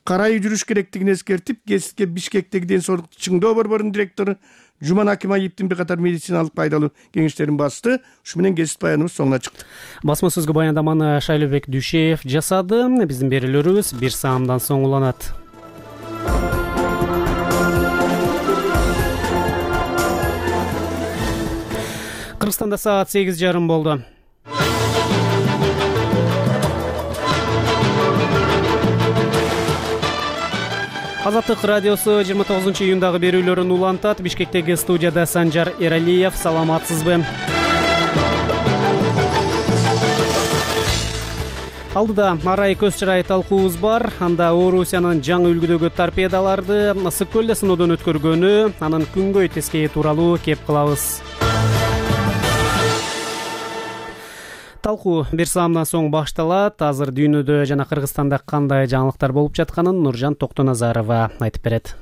карай жүрүш керектигин эскертип, кесипке Бишкектеги ден соолукту чыңдоо борборунун директору Жуман Акимаевдин бир катар медициналык пайдалуу кеңештерин басты. Ушу менен кесип баяныбыз соңуна чыкты. Басма сөзгө баяндаманы Шайлообек Дүйшеев жасады. Биздин берүүлөрүбүз бир саамдан соң уланат. Кыргызстанда саат 8:30 болду. Азаттык радиосу 29-июндагы берүүлөрүн улантат. Бишкектеги студияда Санжар Эралиев. Саламатсызбы? Алдыда арай көз чырай талкуубуз бар. Анда Орусиянын жаңы үлгүдөгү торпедаларды ысык көлдө сыноодон өткөргөнү, анын күнгөй тескейи тууралуу кеп кылабыз. Талкуу бир саамдан соң башталат. Азыр дүйнөдө жана Кыргызстанда кандай жаңылыктар болуп жатканын Нуржан Токтоназарова айтып берет.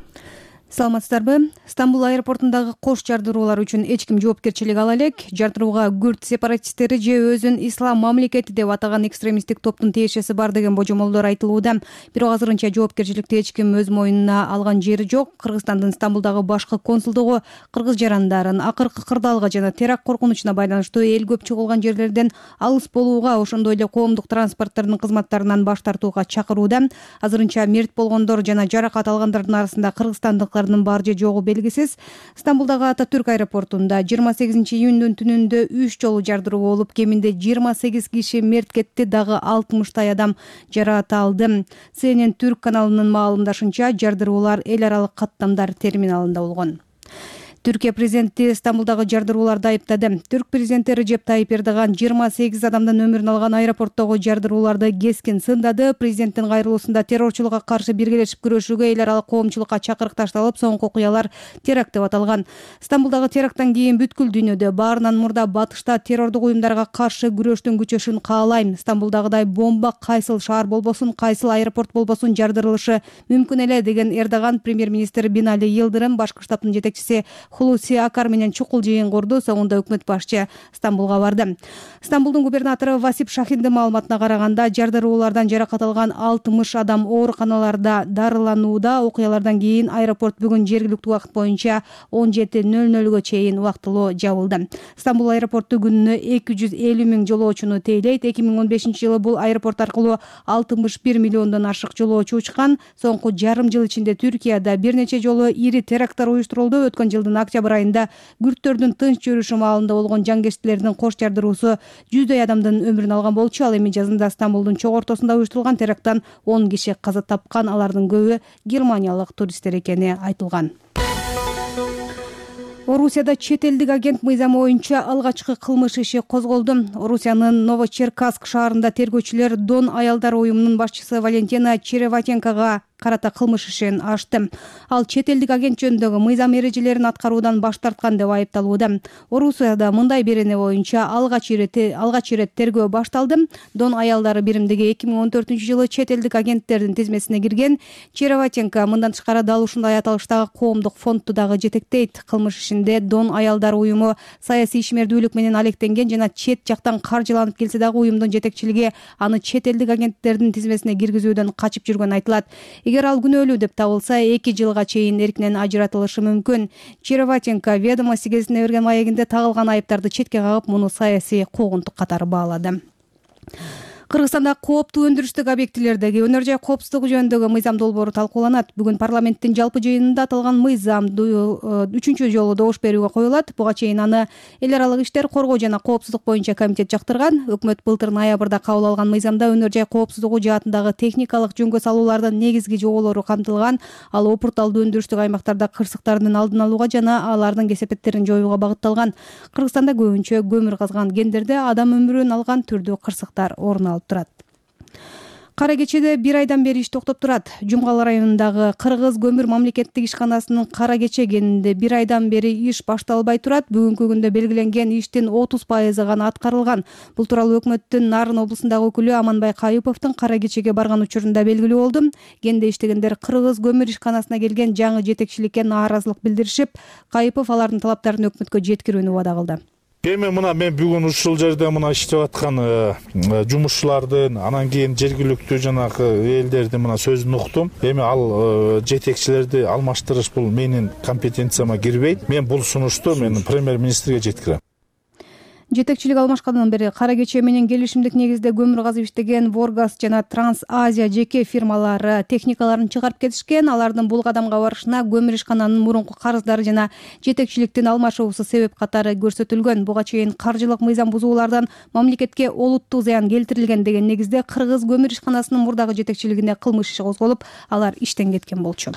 Саламатсыздарбы? Стамбул аэропортундагы кош жардыруулар үчүн эч ким жоопкерчилик ала элек. Жардырууга күрд сепаратисттери же өзүн ислам мамлекети деп атаган экстремисттик топтун тиешеси бар деген божомолдор айтылууда. Бирок азырынча жоопкерчиликти эч ким өз мойнуна алган жери жок. Кыргызстандын Стамбулдагы башкы консулдугу кыргыз жарандарын акыркы кырдаалга жана теракт коркунучуна байланыштуу эл көп чогулган жерлерден алыс болууга, ошондой эле коомдук транспорттардын кызматтарынан баш тартууга чакырууда. Азырынча мерт болгондор жана жаракат алгандардын арасында кыргызстандык бар же жогу белгисиз. Стамбулдагы Ататүрк аэропортунда 28-июндун түнүндө 3 жолу жардыруу болуп, кеминде 28 киши мерт кетти, дагы 60 адам жаракат алды. CNN Түрк каналынын маалымдашынча, жардыруулар эл аралык каттамдар терминалында болгон. Түркия президенти Стамбулдагы жардырууларды айыптады. Түрк президенти Режеп Тайип Эрдоган 28 адамдын өмүрүн алган аэропорттогу жардырууларды кескин сындады. Президенттин кайрылуусунда террорчулукка каршы биргелешип күрөшүүгө эл аралык коомчулукка чакырык ташталып, соңку окуялар теракт деп аталган. Стамбулдагы теракттан кийин бүткүл дүйнөдө баарынан мурда батышта террордук уюмдарга каршы күрөштүн күчөшүн каалайм. Стамбулдагыдай бомба кайсыл шаар болбосун, кайсыл аэропорт болбосун жардырылышы мүмкүн эле деген Эрдоган премьер-министр Бинали Йылдырым, башкы штабтын жетекчиси Хулуси Акар менен чукул жыйын курду. Соңунда өкмөт башчы Стамбулга барды. Стамбулдун губернатору Васип Шахиндин маалыматына караганда, жардыруулардан жаракат алган 60 адам ооруканаларда дарыланууда. Окуялардан кийин аэропорт бүгүн жергиликтүү убакыт боюнча 17:00 чейин убактылуу жабылды. Стамбул аэропорту күнүнө 250 000 жолоочуну тейлейт. 2015-жылы бул аэропорт аркылуу 61 миллиондон ашык жолоочу учкан. Соңку жарым жыл ичинде Түркияда бир нече жолу ири теракттар уюштурулду. Өткөн жылдын октябрь айында күрдтөрдүн тынч жүрүшү маалында болгон жангерчилердин кош жардыруусу 100 адамдын өмүрүн алган болчу. Ал эми жазында Стамбулдун чок ортосунда уюштурулган теракттан 10 киши каза тапкан. Алардын көбү германиялык туристтер экени айтылган. Орусияда чет элдик агент мыйзамы боюнча алгачкы кылмыш иши козголду. Орусиянын Новочеркасск шаарында тергөөчүлөр Дон аялдар уюмунун башчысы Валентина Череватенкага карата кылмыш ишин ачты. Ал чет элдик агент жөнүндөгү мыйзам эрежелерин аткаруудан баш тарткан деп айыпталууда. Орусияда мындай берене боюнча алгач ирет тергөө башталды. Дон аялдары биримдиги 2014-жылы чет элдик агенттердин тизмесине кирген. Череватенко мындан тышкары дал ушундай аталыштагы коомдук фондду дагы жетектейт. Кылмыш ишинде Дон аялдар уюму саясий ишмердүүлүк менен алектенген жана чет жактан каржыланып келсе дагы уюмдун жетекчилиги аны чет элдик агенттердин тизмесине киргизүүдөн качып жүргөнү айтылат. Эгер ал күнөөлүү деп табылса, 2 жылга чейин эркинен ажыратылышы мүмкүн. Череватенко Ведомости гезитине берген маегинде тагылган айыптарды четке кагып, муну саясий куугунтук катары баалады. Кыргызстанда кооптуу өндүрүштүк объектилердеги өнөр жай коопсуздугу жөнүндөгү мыйзам долбоору талкууланат. Бүгүн парламенттин жалпы жыйынында аталган мыйзам 3-чү жолу добуш берүүгө коюлат. Буга чейин аны эл аралык иштер, коргоо жана коопсуздук боюнча комитет жактырган. Өкмөт былтыр ноябрда кабыл алган мыйзамда өнөр жай коопсуздугу жаатындагы техникалык жөнгө салуулардын негизги жоболору камтылган. Ал опурталдуу өндүрүштүк аймактарда кырсыктардын алдын алууга жана алардын кесепеттерин жоюуга багытталган. Кыргызстанда көбүнчө көмүр казган кендерде адам өмүрүн алган түрдүү кырсыктар орун алып турат. Кара кечеде бир айдан бери иш токтоп турат. Жумгал районундагы Кыргыз көмүр мамлекеттик ишканасынын Кара кече кенинде бир айдан бери иш башталбай турат. Бүгүнкү күндө белгиленген иштин 30% гана аткарылган. Бул тууралуу өкмөттүн Нарын облусундагы өкүлү Аманбай Кайыповдун Кара кечеге барган учурунда белгилүү болду. Кенде иштегендер Кыргыз көмүр ишканасына келген жаңы жетекчиликке нааразылык билдиришип, Кайыпов алардын талаптарын өкмөткө жеткирүүнү убада кылды. Эми мен бүгүн ушул жерде иштеп аткан жумушчулардын, анан кийин жергиликтүү жанагы элдердин сөзүн уктум. Эми ал жетекчилерди алмаштырыш бул менин компетенцияма кирбейт. Мен бул сунушту премьер-министрге жеткирем. Жетекчилик алмашкандан бери Кара кече менен келишимдик негизде көмүр казып иштеген Воргаз жана Транс Азия жеке фирмалары техникаларын чыгарып кетишкен. Алардын бул кадамга барышына көмүр ишкананын мурунку карыздары жана жетекчиликтин алмашуусу себеп катары көрсөтүлгөн. Буга чейин каржылык мыйзам бузуулардан мамлекетке олуттуу зыян келтирилген деген негизде Кыргыз көмүр ишканасынын мурдагы жетекчилигине кылмыш иши козголуп, алар иштен кеткен болчу.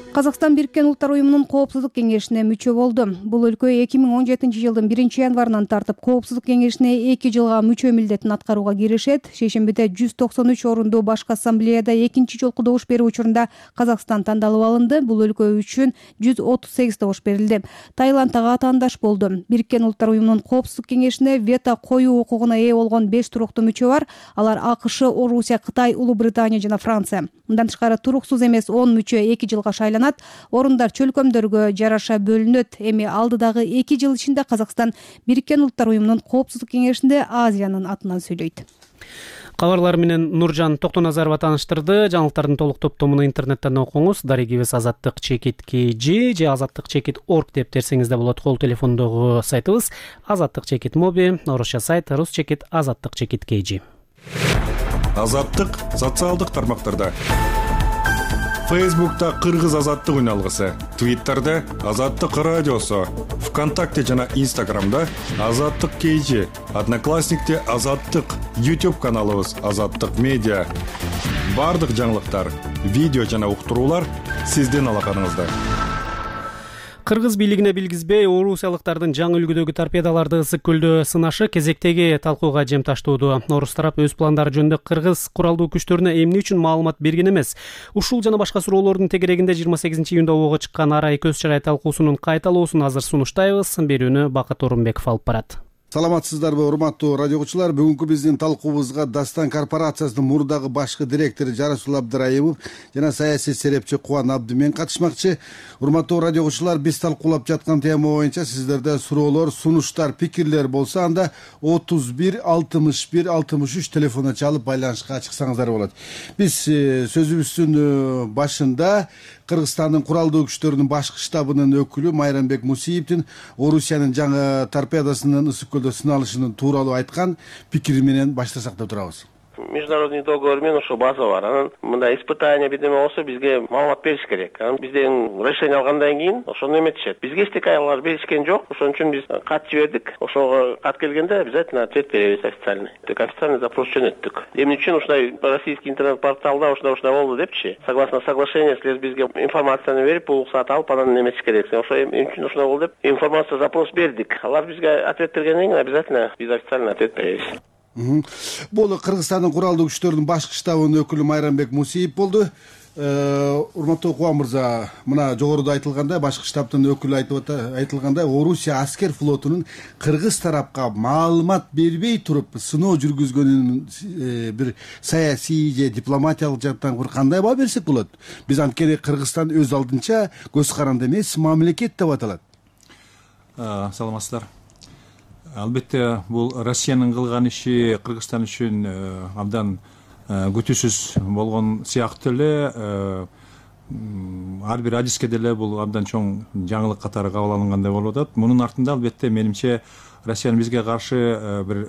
Казакстан Бириккен Улуттар уюмунун Коопсуздук кеңешине мүчө болду. Бул өлкө 2017-жылдын 1-январынан тартып Коопсуздук кеңешине 2 жылга мүчө милдетин аткарууга киришет. Шешембиде 193 орундуу башкы ассамблеяда экинчи жолку добуш берүү учурунда Казакстан тандалып алынды. Бул өлкө үчүн 138 добуш берилди. Таиланд ага атаандаш болду. Бириккен Улуттар уюмунун Коопсуздук кеңешине вето коюу укугуна ээ болгон 5 туруктуу мүчө бар. Алар АКШ, Орусия, Кытай, Улуу Британия жана Франция. Мындан тышкары туруксуз эмес 10 мүчө 2 жылга шайланат. Орундар чөлкөмдөргө жараша бөлүнөт. Эми алдыдагы 2 жыл ичинде Казакстан Бириккен Улуттар уюмунун Коопсуздук кеңешинде Азиянын атынан сөйлөйт. Кабарлар менен Нуржан Токтоназарова тааныштырды. Жаңылыктардын толук топтомуну интернеттен окуңуз. Дарегибиз azattik.kg же azattik.org деп терсеңиз да болот. Кол телефондогу сайтыбыз azattik.mobi, орусча сайт rus.azattik.kg. Азаттык социалдык тармактарда. Фейсбукта Кыргыз азаттык үналгысы, Твиттерде Азаттык радиосу, ВКонтакте жана Инстаграмда Азаттык KG, Одноклассникте Азаттык, YouTube каналыбыз Азаттык медиа. Бардык жаңылыктар, видео жана уктуруулар сиздин алаканыңызда. Кыргыз бийлигине билгизбей, орусиялыктардын жаңы үлгүдөгү торпедаларды Ысык көлдө сынашы кезектеги талкууга жем таштоодо. Орус тарап өз пландары жөнүндө кыргыз куралдуу күчтөрүнө эмне үчүн маалымат берген эмес? Ушул жана башка суроолордун тегерегинде 28-июнда ого чыккан арай көз чырай талкуусунун кайталоосун азыр сунуштайбыз. Берүүнү Бакыт Орунбеков алып барат. Саламатсыздарбы, урматтуу радио угуучулар. Бүгүнкү биздин талкуубузга Дастан корпорациясынын мурдагы башкы директору Жарасул Абдыраимов жана саясий серепчи Кубан Абдымен катышмакчы. Урматтуу радио угуучулар, биз талкуулап жаткан тема боюнча сиздерде суроолор, сунуштар, пикирлер болсо, анда 31 61 63 телефонуна чалып байланышка чыксаңыздар болот. Биз сөзүбүздүн башында Кыргызстандын куралдуу күчтөрүнүн башкы штабынын өкүлү Майрамбек Мусиевдин Орусиянын жаңы торпедасынын Ысык көлдө сыналышынын тууралуу айткан пикири менен баштасак деп турабыз. Международный договор менен ошо база бар. Анан мындай испытание бирдеме болсо бизге маалымат бериш керек. Анан бизден решение алгандан кийин ошону эметишет. Бизге эчтеке алар беришкен жок. Ошон үчүн биз кат жибердик. Ошого кат келгенде обязательно ответ беребиз официальный. Официальный запрос жөнөттүк. Эмне үчүн ушундай российский интернет-порталда ушундай болду депчи. Согласно соглашению силер бизге информацияны берип, уруксат алып, анан эметиш керексиң. Ошо эмне үчүн ушундай болду деп информация запрос бердик. Алар бизге ответ бергенден кийин обязательно биз официальный ответ беребиз. Бул Кыргызстандын куралдуу күчтөрүнүн башкы штабынын өкүлү Майрамбек Мусиев болду. Урматтуу Кубан мырза, мына жогоруда айтылгандай, башкы штабтын өкүлү айтылгандай, Орусия аскер флотунун Кыргыз тарапка маалымат бербей туруп сыноо жүргүзгөнүн бир саясий же дипломатиялык жактан бир кандай баа берсек болот? Биз анткени Кыргызстан өз алдынча көз каранды эмес мамлекет деп аталат. Саламатсыздар. Албетте бул Россиянын кылган иши Кыргызстан үчүн абдан күтүүсүз болгон сыяктуу эле, ар бир адиске деле бул абдан чоң жаңылык катары кабыл алынгандай болуп атат. Мунун артында албетте менимче Россиянын бизге каршы бир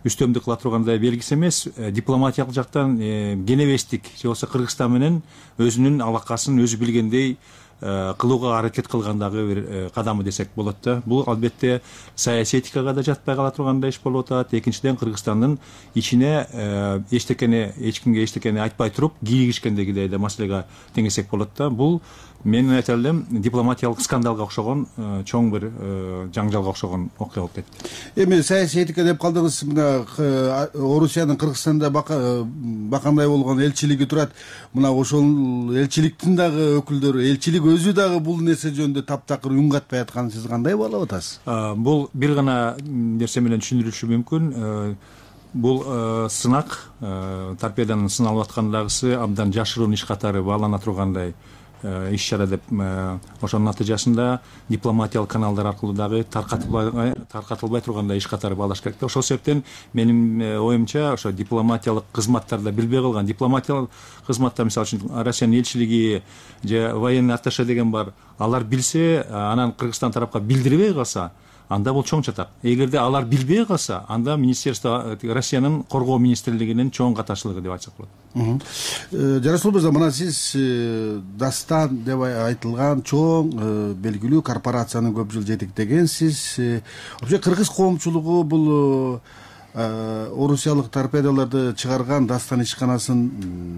үстөмдүк кыла тургандай белгиси эмес, дипломатиялык жактан кенебестик же болбосо Кыргызстан менен өзүнүн алакасын өзү билгендей кылууга аракет кылгандагы бир кадамы десек болот да. Бул албетте саясий этикага да жатпай кала тургандай иш болуп атат. Экинчиден, Кыргызстандын ичине эч кимге эчтекени айтпай туруп кийлигишкендегидей да маселеге теңесек болот да. Бул мен айта элем дипломатиялык скандалга окшогон чоң бир жаңжалга окшогон окуя болуп кетти. Эми саясий этика деп калдыңыз. Мына Орусиянын Кыргызстанда бакандай болгон элчилиги турат. Мына ошол элчиликтин дагы өкүлдөрү, элчилик өзү дагы бул нерсе жөнүндө таптакыр үн катпай атканын сиз кандай баалап атасыз? Бул бир гана нерсе менен түшүндүрүлүшү мүмкүн. Бул сынак, торпеданын сыналып аткандагысы абдан жашыруун иш катары баалана тургандай иш чара деп, ошонун натыйжасында дипломатиялык каналдар аркылуу дагы таркатылбай тургандай иш катары баалаш керек да. Ошол себептен менин оюмча ошо дипломатиялык кызматтарда билбей калган, дипломатиялык кызматта мисалы үчүн Россиянын элчилиги же военный атташе деген бар, алар билсе, анан Кыргызстан тарапка билдирбей калса, анда бул чоң чатак. Эгерде алар билбей калса, анда министерство, Россиянын коргоо министрлигинин чоң катачылыгы деп айтсак болот. Жарасул мырза, мына сиз Дастан деп айтылган чоң белгилүү корпорацияны көп жыл жетектегенсиз. Вообще кыргыз коомчулугу бул орусиялык торпедаларды чыгарган Дастан ишканасын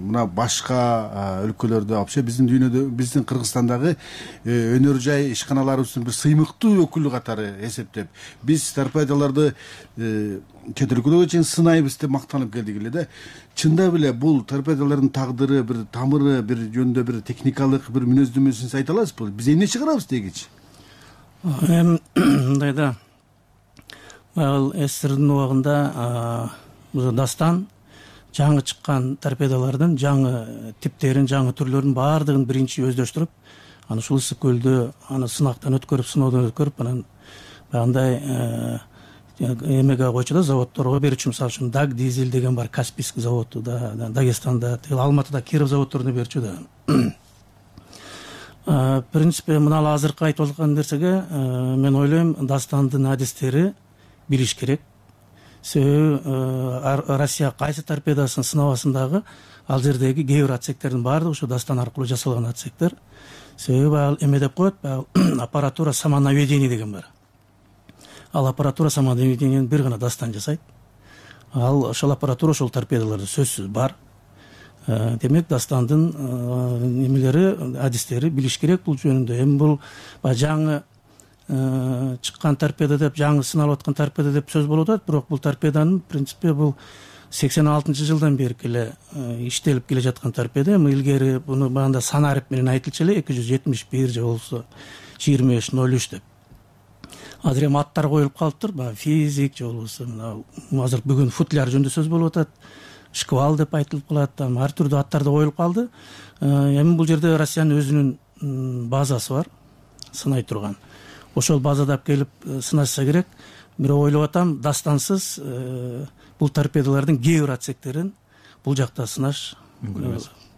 мына башка өлкөлөрдө, вообще биздин дүйнөдө, биздин Кыргызстандагы өнөр жай ишканаларыбыздын бир сыймыктуу өкүлү катары эсептеп, биз торпедаларды чет өлкөлөргө чейин сынайбыз деп мактанып келдик эле да. Чындап эле бул торпедалардын тагдыры, бир тамыры, бир жөнүндө бир техникалык бир мүнөздөмөсүн айта аласызбы? Биз эмне чыгарабыз дегичи? Мындай да, ал СССРдин убагында Дастан жаңы чыккан торпедалардын жаңы типтерин, жаңы түрлөрүнүн баардыгын биринчи өздөштүрүп, аны ушул ысык көлдө аны сынактан өткөрүп, сыноодон өткөрүп, анан баягындай эмеге койчу да, заводдорго берүүчү. Мисалы үчүн Даг Дизель деген бар, Каспийский заводу да, Дагестанда, Алматыда, Киров заводдоруна берүүчү да. В принципе, мына азыркы айтып аткан нерсеге мен ойлойм, Дастандын адистери билиш керек. Себеби Россия кайсы торпедасын сынабасын дагы, ал жердеги кээ бир отсектердин баардыгы ушу Дастан аркылуу жасалган отсектер. Себеби ал эме деп коет, аппаратура самонаведения деген бар. Ал аппаратура самонаведениени бир гана Дастан жасайт. Ал ошол аппаратура ошол торпедаларда сөзсүз бар. Демек Дастандын эмелери, адистери билиш керек бул жөнүндө. Эми бул жаңы чыккан торпеда деп, жаңы сыналып аткан торпеда деп сөз болуп атат, бирок бул торпеданын принципе бул 86-жылдан бери эле иштелип келе жаткан торпеда. Эми илгери буну баанда санарип менен айтылчу эле 271 же болбосо 2503 деп. Азыр эми аттар коюлуп калыптыр, баягы физик же болбосо азыр бүгүн футляр жөнүндө сөз болуп атат, шквал деп айтылып калат, ар түрдүү аттар да коюлуп калды. Эми бул жерде Россиянын өзүнүн базасы бар, сынай турган. Ошол базада келип сынашса керек. Бирок ойлоп атам, Дастансыз бул торпедалардын кээ бир отсектерин бул жакта сынаш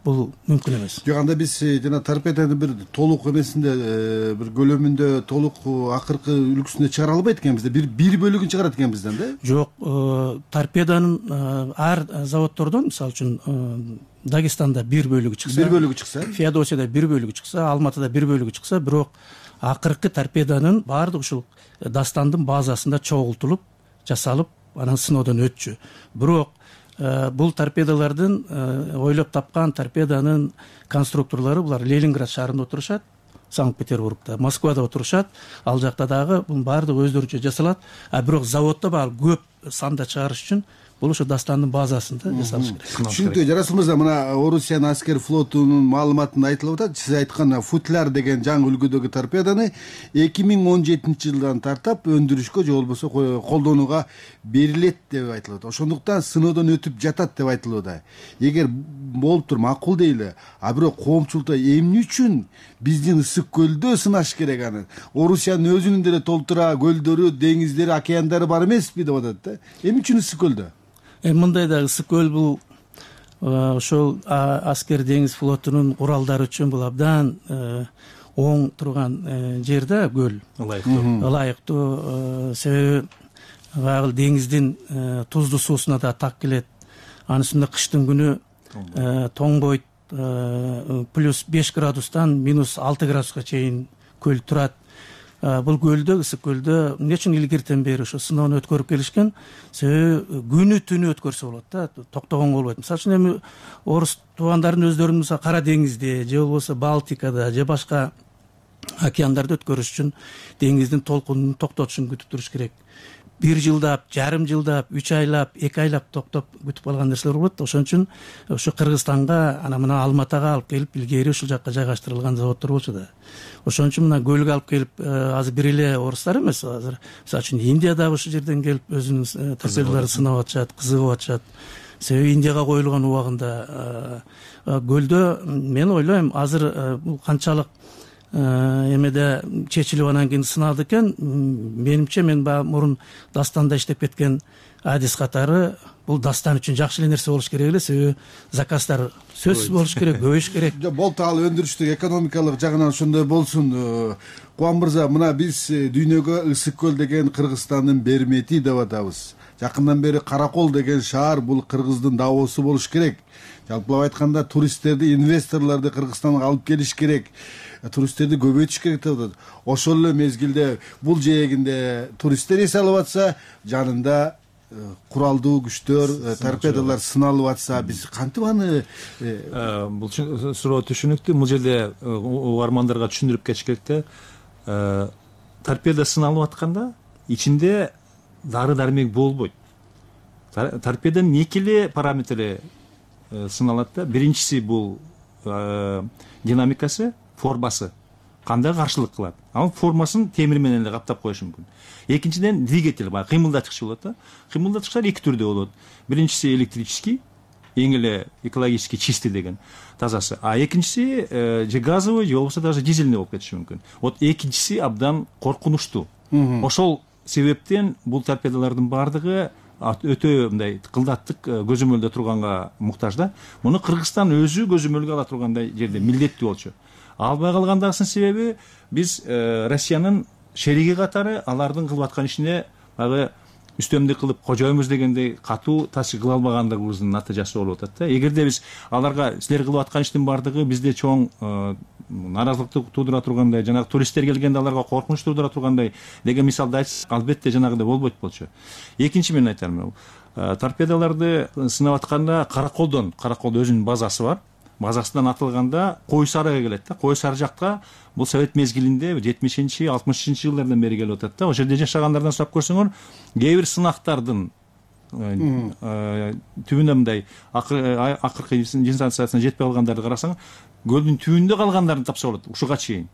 бул мүмкүн эмес. Жок, анда биз жана торпеданын бир толук эмесинде, бир көлөмүндө толук акыркы үлгүсүндө чыгара албайт экенбиз да, бир бөлүгүн чыгарат экенбизден да? Жок, торпеданын ар заводдордон, мисалы үчүн Дагестанда бир бөлүгү чыкса, Феодосияда бир бөлүгү чыкса, Алматыда бир бөлүгү чыкса, бирок акыркы торпеданын баардыгы ушул Дастандын базасында чогултулуп, жасалып, анан сыноодон өтчү. Бирок бул торпедалардын ойлоп тапкан торпеданын конструкторлору булар Ленинград шаарында отурушат, Санкт-Петербургда, Москвада отурушат. Ал жакта дагы бунун баардыгы өздөрүнчө жасалат. Бирок заводдо баары көп санда чыгарыш үчүн бул ошо Дастандын базасында жасалыш керек. Түшүнүктүү. Жарасул мырза, мына Орусиянын аскер флотунун маалыматында айтылып атат. Сиз айткан футляр деген жаңы үлгүдөгү торпеданы 2017-жылдан тартап өндүрүшкө же болбосо колдонууга берилет деп айтылат. Ошондуктан сыноодон өтүп жатат деп айтылууда. Эгер болуптур, макул дейли. Бирок коомчулукта эмне үчүн биздин ысык көлдө сынаш керек аны? Орусиянын өзүнүн деле толтура көлдөрү, деңиздери, океандары бар эмеспи деп атат да. Эмне үчүн ысык көлдө? Мындай да, ысык көл бул ошол аскер деңиз флотунун куралдары үчүн бул абдан оң турган жер да, көл. Ылайыктуу. Себеби баягы деңиздин туздуу суусуна да так келет. Анын үстүндө кыштын күнү тоңбойт, плюс 5 градустан минус 6 градуска чейин көл турат. бул көлдө, ысык көлдө эмне үчүн илгертен бери ошо сыноону өткөрүп келишкен? Себеби күнү түнү өткөрсө болот да, токтогонго болбойт. Мисалы үчүн эми орус туугандардын өздөрүнүн мисалы Кара деңизде же болбосо Балтикада же башка океандарды өткөрүш үчүн деңиздин толкунун токтотушун күтүп туруш керек. 1 жылдап, жарым жылдап, 3 айлап, 2 айлап токтоп күтүп калган нерселер болот. Ошон үчүн ошо Кыргызстанга ана мына Алматага алып келип, илгери ушул жакка жайгаштырылган заводдор болчу да. Ошон үчүн мына көлгө алып келип, азыр бир эле орустар эмес, азыр мисалы үчүн Индиядагы ушул жерден келип өзүнүн торпедаларын сынап атышат, кызыгып атышат. Себеби Индияга коюлган убагында көлдө мен ойлойм азыр бул канчалык эмеде чечилип анан кийин сыналды экен. Менимче мен баягы мурун Дастанда иштеп кеткен адис катары бул Дастан үчүн жакшы эле нерсе болуш керек эле. Себеби заказдар сөзсүз болуш керек, көбөйүш керек. Болду, ал өндүрүштүк экономикалык жагынан ошондой болсун. Кубан мырза, мына биз дүйнөгө Ысык көл деген Кыргызстандын бермети деп атабыз. Жакындан бери Каракол деген шаар бул Кыргыздын Давосу болуш керек. Жалпылап айтканда туристтерди, инвесторлорду Кыргызстанга алып келиш керек. Туристтерди көбөйтүш керек деп атат. Ошол эле мезгилде бул жээгинде туристтер эс алып атса, жанында куралдуу күчтөр, торпедалар сыналып атса, биз кантип аны бул суроо түшүнүктүү. Бул жерде угармандарга түшүндүрүп кетиш керек да. Торпеда сыналып атканда ичинде дары дармек болбойт. Торпеданын эки эле параметри сыналат да. Биринчиси бул динамикасы, формасы кандай каршылык кылат. Ал формасын темир менен эле каптап коюш мүмкүн. Экинчиден двигатель, баягы кыймылдатчы болот да. Кыймылдатчылар эки түрдө болот. Биринчиси электрический, эң эле экологически чистый деген тазасы. А экинчиси же газовый, же болбосо даже дизельный болуп кетиши мүмкүн. Вот экинчиси абдан коркунучтуу. Ошол себептен бул торпедалардын баардыгы өтө мындай кылдаттык көзөмөлдө турганга муктаж да. Муну Кыргызстан өзү көзөмөлгө ала тургандай жерде милдеттүү болчу. Албай калгандагысынын себеби биз Россиянын шериги катары алардын кылып аткан ишине баягы үстөмдүк кылып кожойбуз дегендей катуу таасир кыла албагандыгыбыздын натыйжасы болуп атат да. Эгерде биз аларга силер кылып аткан иштин баардыгы бизде чоң нааразылыкты туудура тургандай, жанагы туристтер келгенде аларга коркунуч туудура тургандай деген мисалды айтсак, албетте жанагыдай болбойт болчу. Экинчи мен айтарым, торпедаларды сынап атканда Караколдо өзүнүн базасы бар. Базасынан атылганда Кой Сарыга келет да. Кой Сары жакка бул совет мезгилинде 70-60 жылдардан бери келип атат да. Ошол жерде жашагандардан сурап көрсөңөр, кээ бир сынактардын түбүнө мындай акыркы дистанциясына жетпей калгандарды карасаң, көлдүн түбүндө калгандарын тапса болот ушуга чейин.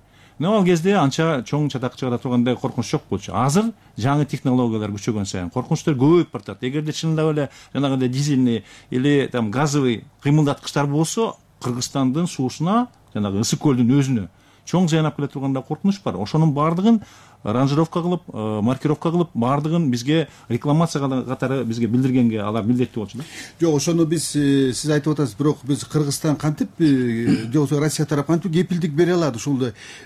Ал кезде анча чоң чатак чыгара тургандай коркунуч жок болчу. Азыр жаңы технологиялар күчөгөн сайын коркунучтар көбөйүп баратат. Эгерде чындап эле жанагындай дизельный или газовый кыймылдаткычтар болсо, Кыргызстандын суусуна, жанагы Ысык көлдүн өзүнө чоң зыян алып келе турганда коркунуч бар. Ошонун баардыгын ранжировка кылып, маркировка кылып, баардыгын бизге рекламация катары бизге билдиргенге алар милдеттүү болчу да. Жок, ошону биз сиз айтып атасыз, бирок биз Кыргызстан кантип же болбосо Россия тарап кантип кепилдик бере алат ушул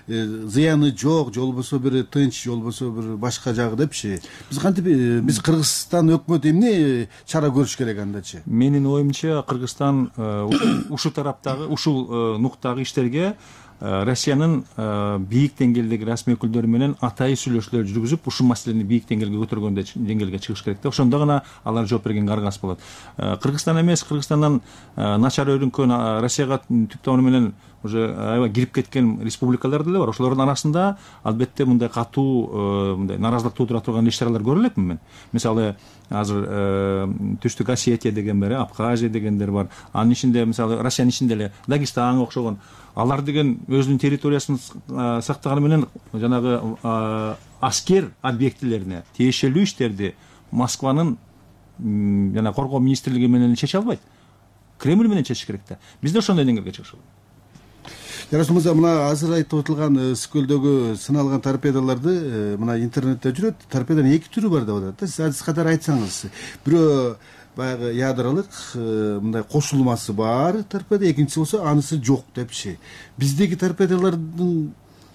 зыяны жок, же болбосо бир тынч, же болбосо бир башка жагы депчи. Биз кантип биз Кыргызстан өкмөтү эмне чара көрүш керек андачы? Менин оюмча Кыргызстан ушул тараптагы, ушул нуктагы иштерге Россиянын бийик деңгээлдеги расмий өкүлдөрү менен атайын сүйлөшүүлөр жүргүзүп, ушул маселени бийик деңгээлге көтөргөндөй деңгээлге чыгыш керек да. Ошондо гана алар жооп бергенге аргасыз болот. Кыргызстан эмес, Кыргызстандан начар өрүнкөн, Россияга түп тамыры менен уже аябай кирип кеткен республикалар деле бар. Ошолордун арасында албетте мындай катуу мындай нааразылык туудура турган иш-чаралар көрө элекмин мен. Мисалы, азыр Түштүк Осетия деген бар, Абхазия дегендер бар. Анын ичинде мисалы Россиянын ичинде эле Дагестанга окшогон алар деген өзүнүн территориясын сактаганы менен жанагы аскер объектилерине тиешелүү иштерди Москванын жана коргоо министрлиги менен чече албайт. Кремль менен чечиш керек да. Бизде ошондой деңгээлге чыгыш керек. Жарас мырза, мына азыр айтып отурган Ысык көлдөгү сыналган торпедаларды мына интернетте жүрөт. Торпеданын эки түрү бар деп атат да. Сиз адис катары айтсаңыз, бирөө баягы ядролук мындай кошулмасы бар торпеда, экинчиси болсо анысы жок депчи. Биздеги торпедалардын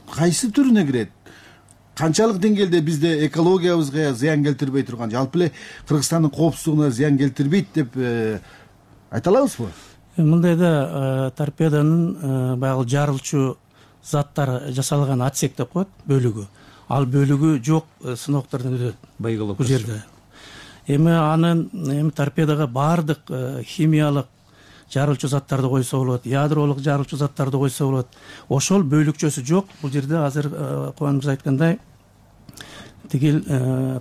кайсы түрүнө кирет? Канчалык деңгээлде бизде экологиябызга зыян келтирбей турган, жалпы эле Кыргызстандын коопсуздугуна зыян келтирбейт деп айта алабызбы? Мындайда торпеданын баягы жарылчу заттар жасалган отсек деп коет, бөлүгү. ал бөлүгү жок сыноктордон өтөт боеголовка бул жерде. Эми анын торпедага баардык химиялык жарылчу заттарды койсо болот, ядролук жарылчу заттарды койсо болот. Ошол бөлүкчөсү жок. Бул жерде азыр Кубан мырза айткандай тигил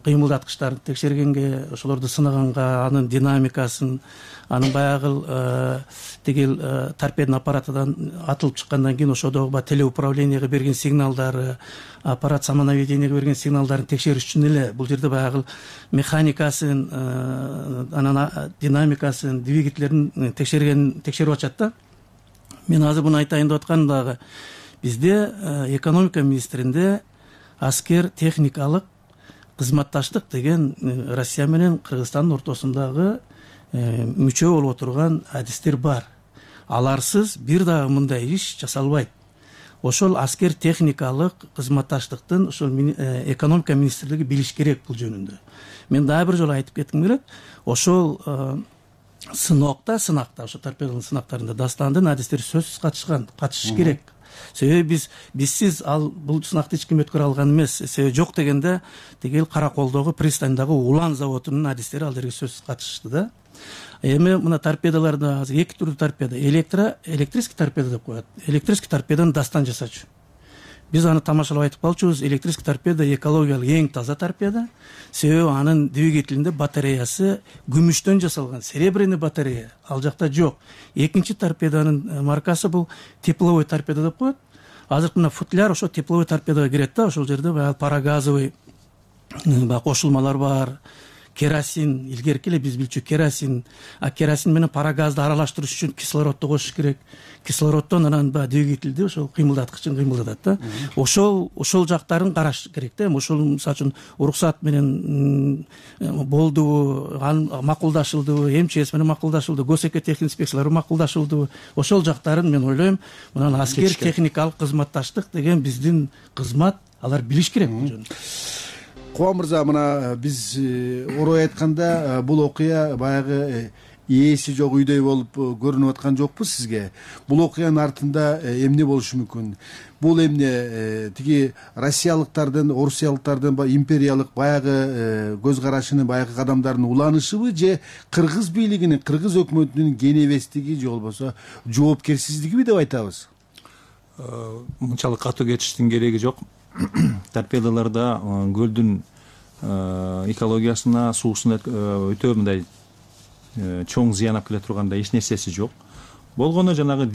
кыймылдаткычтарды текшергенге, ошолорду сынаганга, анын динамикасын, анын баягы тигил торпедонун аппаратынан атылып чыккандан кийин ошодогу баягы телеуправлениеге берген сигналдары, аппарат самонаведениеге берген сигналдарын текшериш үчүн эле бул жерде баягы механикасын, анан динамикасын, двигательдерин текшерип атышат да. Мен азыр буну айтайын деп атканым дагы бизде экономика министринде аскер техникалык кызматташтык деген Россия менен Кыргызстандын ортосундагы мүчө болуп отурган адистер бар. Аларсыз бир дагы мындай иш жасалбайт. Ошол аскер техникалык кызматташтыктын ошол экономика министрлиги билиш керек бул жөнүндө. Мен дагы бир жолу айтып кетким келет. Ошол сынакта ошо торпедонун сынактарында Дастандын адистери сөзсүз катышыш керек. Себеби бизсиз бул сынакты эч ким өткөрө алган эмес. Себеби жок дегенде тигил Караколдогу пристандагы Улан заводунун адистери ал жерге сөзсүз катышты да. Эми мына торпедаларда азыр эки түрдүү торпеда, электрический торпеда деп коет. Электрический торпеданы Дастан жасачу. Биз аны тамашалап айтып калчубуз. Электрический торпеда экологиялык эң таза торпеда. Себеби анын двигателинде батареясы күмүштөн жасалган, серебряный батарея. Ал жакта жок. Экинчи торпеданын маркасы бул тепловой торпеда деп коет. Азыр мына футляр ошо тепловой торпедага кирет да. Ошол жерде баягы парагазовый кошулмалар бар. Керосин, илгерки эле биз билчү керосин, керосин менен парагазды аралаштырыш үчүн кислородду кошуш керек. Кислороддон анан двигательди ошол кыймылдаткычын кыймылдатат да. Ошол жактарын караш керек да. Ошол мисалы үчүн уруксат менен болдубу, макулдашылдыбы, МЧС менен макулдашылды, госэкотехинспекциялар макулдашылдыбы, ошол жактарын мен ойлойм, мына аскер техникалык кызматташтык деген биздин кызмат, алар билиш керек бул жөнүндө. Кубан мырза, мына биз орой айтканда бул окуя баягы ээси жок үйдөй болуп көрүнүп аткан жокпу сизге? Бул окуянын артында эмне болушу мүмкүн? Бул эмне тиги россиялыктардын, орусиялыктардын империялык баягы көз карашынын, баягы кадамдарынын уланышыбы же кыргыз бийлигинин, кыргыз өкмөтүнүн кенебестиги же болбосо жоопкерсиздигиби деп айтабыз? Мынчалык катуу кетиштин кереги жок. Торпедаларда көлдүн экологиясына, суусуна өтө мындай чоң зыян алып келе тургандай эч нерсеси жок. Болгону жанагы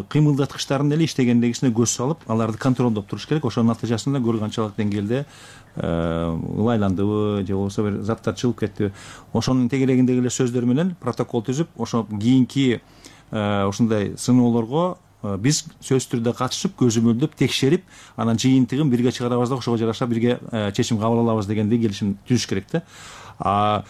кыймылдаткычтардын эле иштегендегисине көз салып, аларды контролдоп туруш керек. Ошонун натыйжасында көл канчалык деңгээлде ылайландыбы же болбосо бир заттар чыгып кеттиби, ошонун тегерегиндеги эле сөздөр менен протокол түзүп, ошо кийинки ушундай сыноолорго биз сөзсүз түрдө катышып, көзөмөлдөп, текшерип, анан жыйынтыгын бирге чыгарабыз да ошого жараша бирге чечим кабыл алабыз дегендей келишим түзүш керек да.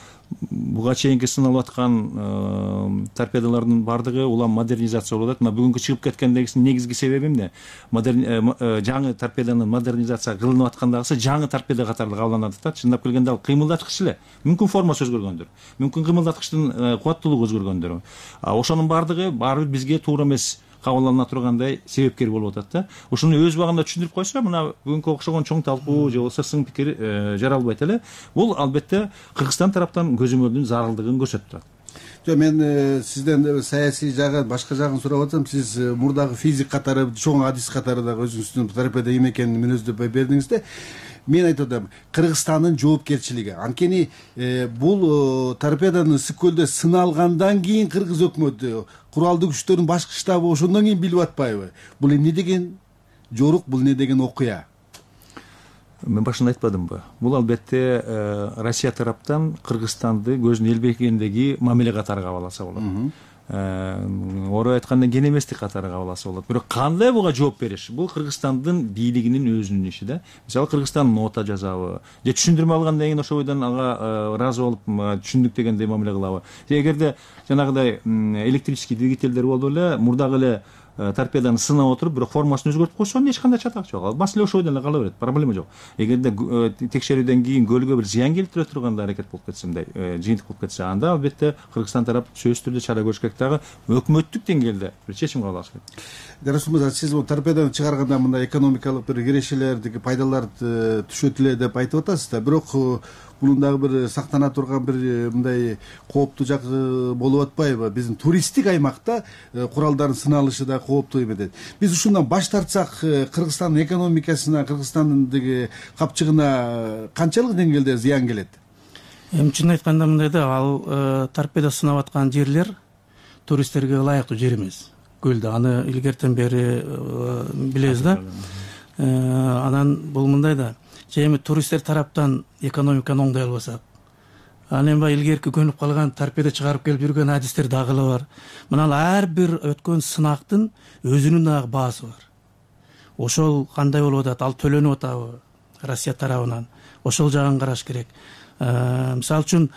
Буга чейинки сыналып аткан торпедалардын баардыгы улам модернизация болуп атат. Мына бүгүнкү чыгып кеткендегисинин негизги себеби эмне? Жаңы торпеданын модернизация кылынып аткандагысы жаңы торпеда катары кабыл алынат да. Чындап келгенде ал кыймылдаткыч эле. Мүмкүн формасы өзгөргөндүр, мүмкүн кыймылдаткычтын кубаттуулугу өзгөргөндүр. Ошонун баардыгы баары бир бизге туура эмес кабыл алына тургандай себепкер болуп атат да. Ушуну өз убагында түшүндүрүп койсо, мына бүгүнкү окшогон чоң талкуу же болбосо сын пикир жаралбайт эле. Бул албетте Кыргызстан тараптан көзөмөлдүн зарылдыгын көрсөтүп турат. Жок, мен сизден саясий жагын, башка жагын сурап атсам, сиз мурдагы физик катары, чоң адис катары дагы өзүңүздүн торпеда эме экенин мүнөздөп бердиңиз да. Мен айтып атам, Кыргызстандын жоопкерчилиги. Анткени бул торпеданы ысык көлдө сыналгандан кийин кыргыз өкмөтү, куралдуу күчтөрдүн башкы штабы ошондон кийин билип атпайбы? Бул эмне деген жорук, бул эмне деген окуя? Мен башында айтпадымбы? Бул албетте Россия тараптан Кыргызстанды көзүнө элбегендеги мамиле катары кабыл алса болот. Орой айтканда кенеместик катары кабыл алса болот. Бирок кандай буга жооп бериш? Бул Кыргызстандын бийлигинин өзүнүн иши да. Мисалы Кыргызстан нота жазабы, же түшүндүрмө алгандан кийин ошол бойдон ага ыраазы болуп түшүндүк дегендей мамиле кылабы. Эгерде жанагыдай электрический двигательдер болду эле, мурдагы эле торпеданы сынап отуруп бирок формасын өзгөртүп койсо эч кандай чатак жок, ал маселе ошол жерде эле кала берет, проблема жок. Эгерде текшерүүдөн кийин көлгө бир зыян келтире турган аракет болуп кетсе, мындай жыйынтык болуп кетсе, анда албетте Кыргызстан тарап сөзсүз түрдө чара көрүш керек, дагы өкмөттүк деңгээлде бир чечим кабыл алыш керек. Жарасул мырза, сиз бул торпеданы чыгарганда мындай экономикалык бир кирешелердики пайдаларды түшөт эле деп айтып атасыз да, бирок бунун дагы бир сактана турган бир мындай кооптуу жагы болуп атпайбы? Биздин туристтик аймакта куралдардын сыналышы да кооптуу эмес. Биз ушундан баш тартсак, Кыргызстандын экономикасына, Кыргызстандын капчыгына канчалык деңгээлде зыян келет? Эми чын айтканда мындай да, ал торпеда сынап аткан жерлер туристтерге ылайыктуу жер эмес. Көлдө аны илгертен бери билебиз да. Анан бул мындай да, эми туристтер тараптан экономиканы оңдой албасак, анан эми илгерки көнүп калган торпеда чыгарып келип жүргөн адистер дагы эле бар. Мына ар бир өткөн сынактын өзүнүн дагы баасы бар. Ошол кандай болуп атат, ал төлөнүп атабы Россия тарабынан, ошол жагын караш керек. Мисалы үчүн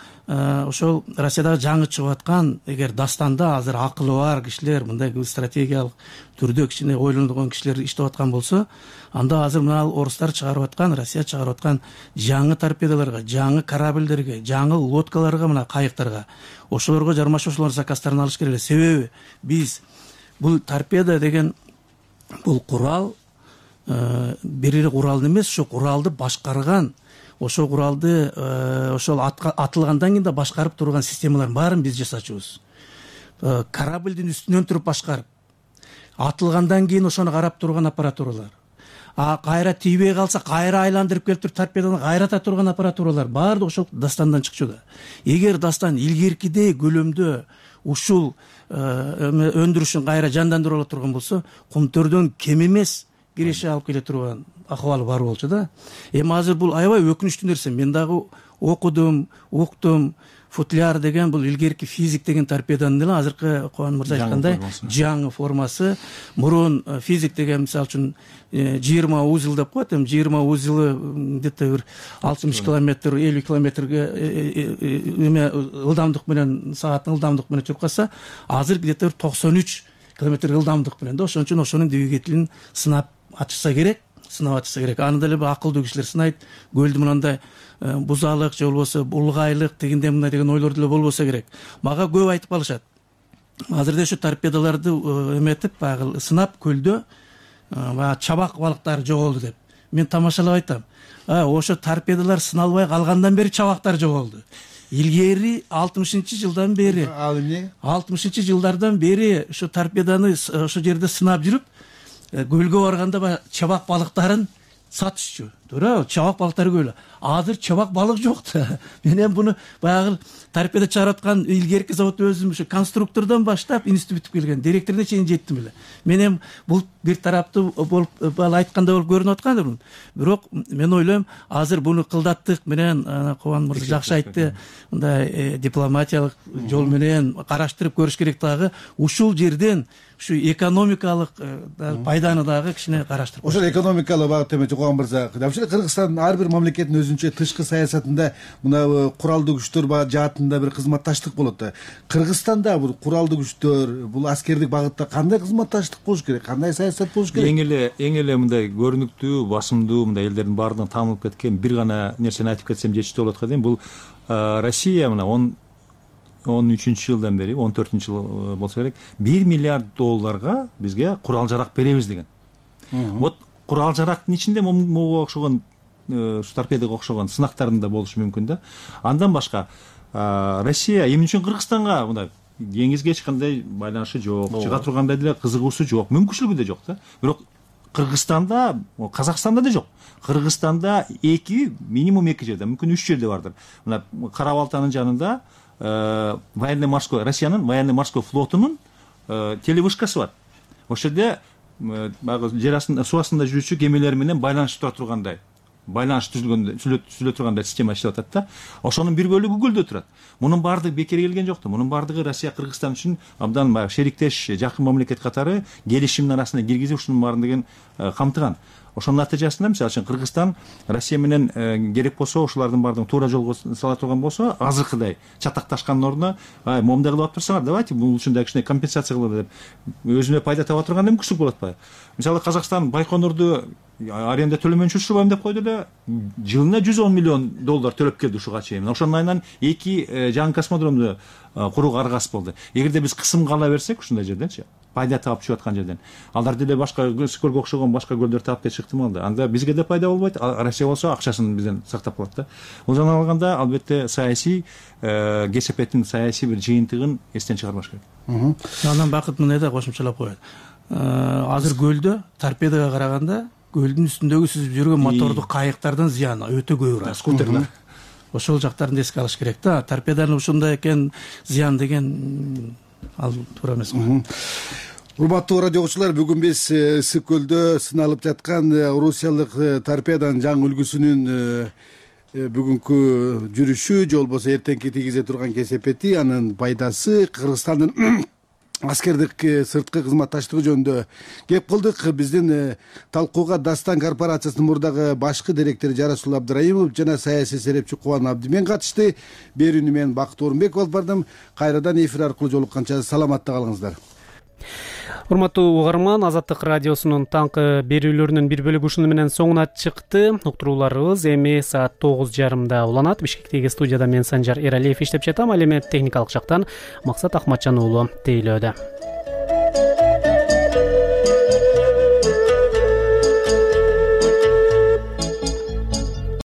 ошол Россиядагы жаңы чыгып аткан, эгер дастанда азыр акылы бар кишилер, мындай стратегиялык түрдө кичине ойлонгон кишилер иштеп аткан болсо, анда азыр мына орустар чыгарып аткан, Россия чыгарып аткан жаңы торпедаларга, жаңы корабльдерге, жаңы лодкаларга, мына кайыктарга, ошолорго жармашып ошолордун заказдарын алыш керек эле. Себеби биз бул торпеда деген бул курал бир эле курал эмес, ошо куралды башкарган, ошол куралды ошол атылгандан кийин да башкарып турган системалардын баарын биз жасачубуз. Корабльдин үстүнөн туруп башкарып, атылгандан кийин ошону карап турган аппаратуралар, кайра тийбей калса кайра айландырып келип туруп торпеданы кайрата турган аппаратуралар баардыгы ошол дастандан чыкчу. Эгер дастан илгеркидей көлөмдө ушул өндүрүшүн кайра жандандырып ала турган болсо, кумтөрдөн кем эмес киреше алып келе турган акыбалы бар болчу да. Эми азыр бул аябай өкүнүчтүү нерсе. Мен дагы окудум, уктум. Футляр деген бул илгерки физик деген торпеданын эле азыркы Кубан мырза айткандай жаңы формасы. Мурун физик деген мисалы үчүн 20 узел деп коет, эми 20 узелы где-то бир 60 километр, 50 километрге эме ылдамдык менен, сааттын ылдамдык менен жүрүп калса, азыр где-то 93 километр ылдамдык менен да. Ошон үчүн ошонун двигателин сынап ачса керек. Аны деле акылдуу кишилер сынайт. Көлдү мындай бузалык же болбосо булгайлык дегенде мындай деген ойлор деле болбосо керек. Мага көп айтып калышат. Азыр ошо торпедаларды эметип, баягы сынап көлдө баягы чабак балыктары жоголду деп. Мен тамашалап айтам. Ошо торпедалар сыналбай калгандан бери чабактар жоголду. Илгери 60-жылдан бери, 60-жылдардан бери ошо торпеданы ошо жерде сынап жүрүп, көлгө барганда чабак балыктарын сатышчу. Туура, чабак балыктары көп. Азыр чабак балык жок да. Мен эми буну баягы торпеда чыгараткан илгерки завод өзүм ошо конструктордон баштап институт бүтүп келген, директоруна чейин жеттим эле. Мен эми бул бир тараптуу болуп айткандай болуп көрүнүп аткандыр. Бирок мен ойлойм, азыр буну кылдаттык менен Кубан мырза жакшы айтты, мындай дипломатиялык жол менен караштырып көрүш керек. Дагы ушул жерден ушу экономикалык пайданы дагы кичине караштырып. Ошол экономикалык багыт эмес Кубан мырза. Кыргызстандын ар бир мамлекеттин өзүнчө тышкы саясатында мына куралдуу күчтөр жаатында бир кызматташтык болот да. Кыргызстанда бул куралдуу күчтөр, бул аскердик багытта кандай кызматташтык болуш керек, кандай саясат болуш керек? Эң эле мындай көрүнүктүү, басымдуу мындай элдердин баардыгын таанылып кеткен бир гана нерсени айтып кетсем жетиштүү болот экен. Бул Россия мына 13-жылдан бери, 14-жыл болсо керек, $1 миллиард бизге курал жарак беребиз деген. Вот курал жарактын ичинде могу окшогон, торпедага окшогон сынактарын да болушу мүмкүн да. Андан башка Россия эмне үчүн Кыргызстанга мындай деңизге эч кандай байланышы жок, чыга тургандай деле кызыгуусу жок, мүмкүнчүлүгү да жок да. Бирок Кыргызстанда, Казакстанда да жок. Кыргызстанда минимум 2 жерде, мүмкүн 3 жерде бардыр. Мына Кара Балтанын жанында военно-морской, Россиянын военно-морской флотунун телевышкасы бар. Ошол жерде жер астында, суу астында жүрүүчү кемелер менен байланышып тура тургандай, байланыш түзүлө тургандай система иштеп атат да. Ошонун бир бөлүгү көлдө турат. Мунун баардыгы бекер келген жок да. Мунун баардыгы Россия Кыргызстан үчүн абдан шериктеш, жакын мамлекет катары келишимдин арасына киргизип ушунун баардыгын камтыган. ошонун натыйжасында мисалы үчүн Кыргызстан Россия менен керек болсо ушулардын баардыгын туура жолго сала турган болсо азыркыдай чатакташкандын ордуна момундай кылып алып турсаңар, давайте бул үчүн да кичине компенсация кылалы деп өзүнө пайда таба турганда мүмкүнчүлүк болот атпайбы? Мисалы Казакстан Байконурду аренда төлөмөйүнчө учурбайм деп койду эле, жылына $110 миллион төлөп келди ушуга чейин. Ошонун айынан 2 жаңы космодромду курууга аргасыз болду. Эгерде биз кысымга ала берсек ушундай жерденчи, пайда таап чыгып аткан жерден, алдар деле башка көлгө окшогон башка көлдөр таап кетиши ыктымал да. Анда бизге да пайда болбойт, Россия болсо акчасын бизден сактап калат да. Бул жана алганда албетте саясий кесепеттин саясий бир жыйынтыгын эстен чыгарбаш керек. Андан Бакыт мындай да кошумчалап коет. Азыр көлдө торпедага караганда көлдүн үстүндөгү сүзүп жүргөн мотордук кайыктардын зыяны өтө көбүрөөк. Скутерлер. Ошол жактарын эске алыш керек да. Торпеданын ушундай экен зыян деген ал туура эмес. Урматтуу радио угуучулар, бүгүн биз Ысык көлдө сыналып жаткан орусиялык торпеданын жаңы үлгүсүнүн бүгүнкү жүрүшү же болбосо эртеңки тийгизе турган кесепети, анын пайдасы, Кыргызстандын аскердик сырткы кызматташтыгы жөнүндө кеп кылдык. Биздин талкууга Дастан корпорациясынын мурдагы башкы директору Жарасул Абдыраимов жана саясий серепчи Кубан Абдимен катышты. Берүүнү мен Бакыт Орунбеков алып бардым. Кайрадан эфир аркылуу жолукканча саламатта калыңыздар. Урматтуу угарман, Азаттык радиосунун таңкы берүүлөрүнүн бир бөлүгү ушуну менен соңуна чыкты. Уктурууларыбыз эми саат 9:30 уланат. Бишкектеги студияда мен Санжар Эралиев иштеп жатам. Ал эми техникалык жактан Максат Ахматжан уулу тейлөөдө.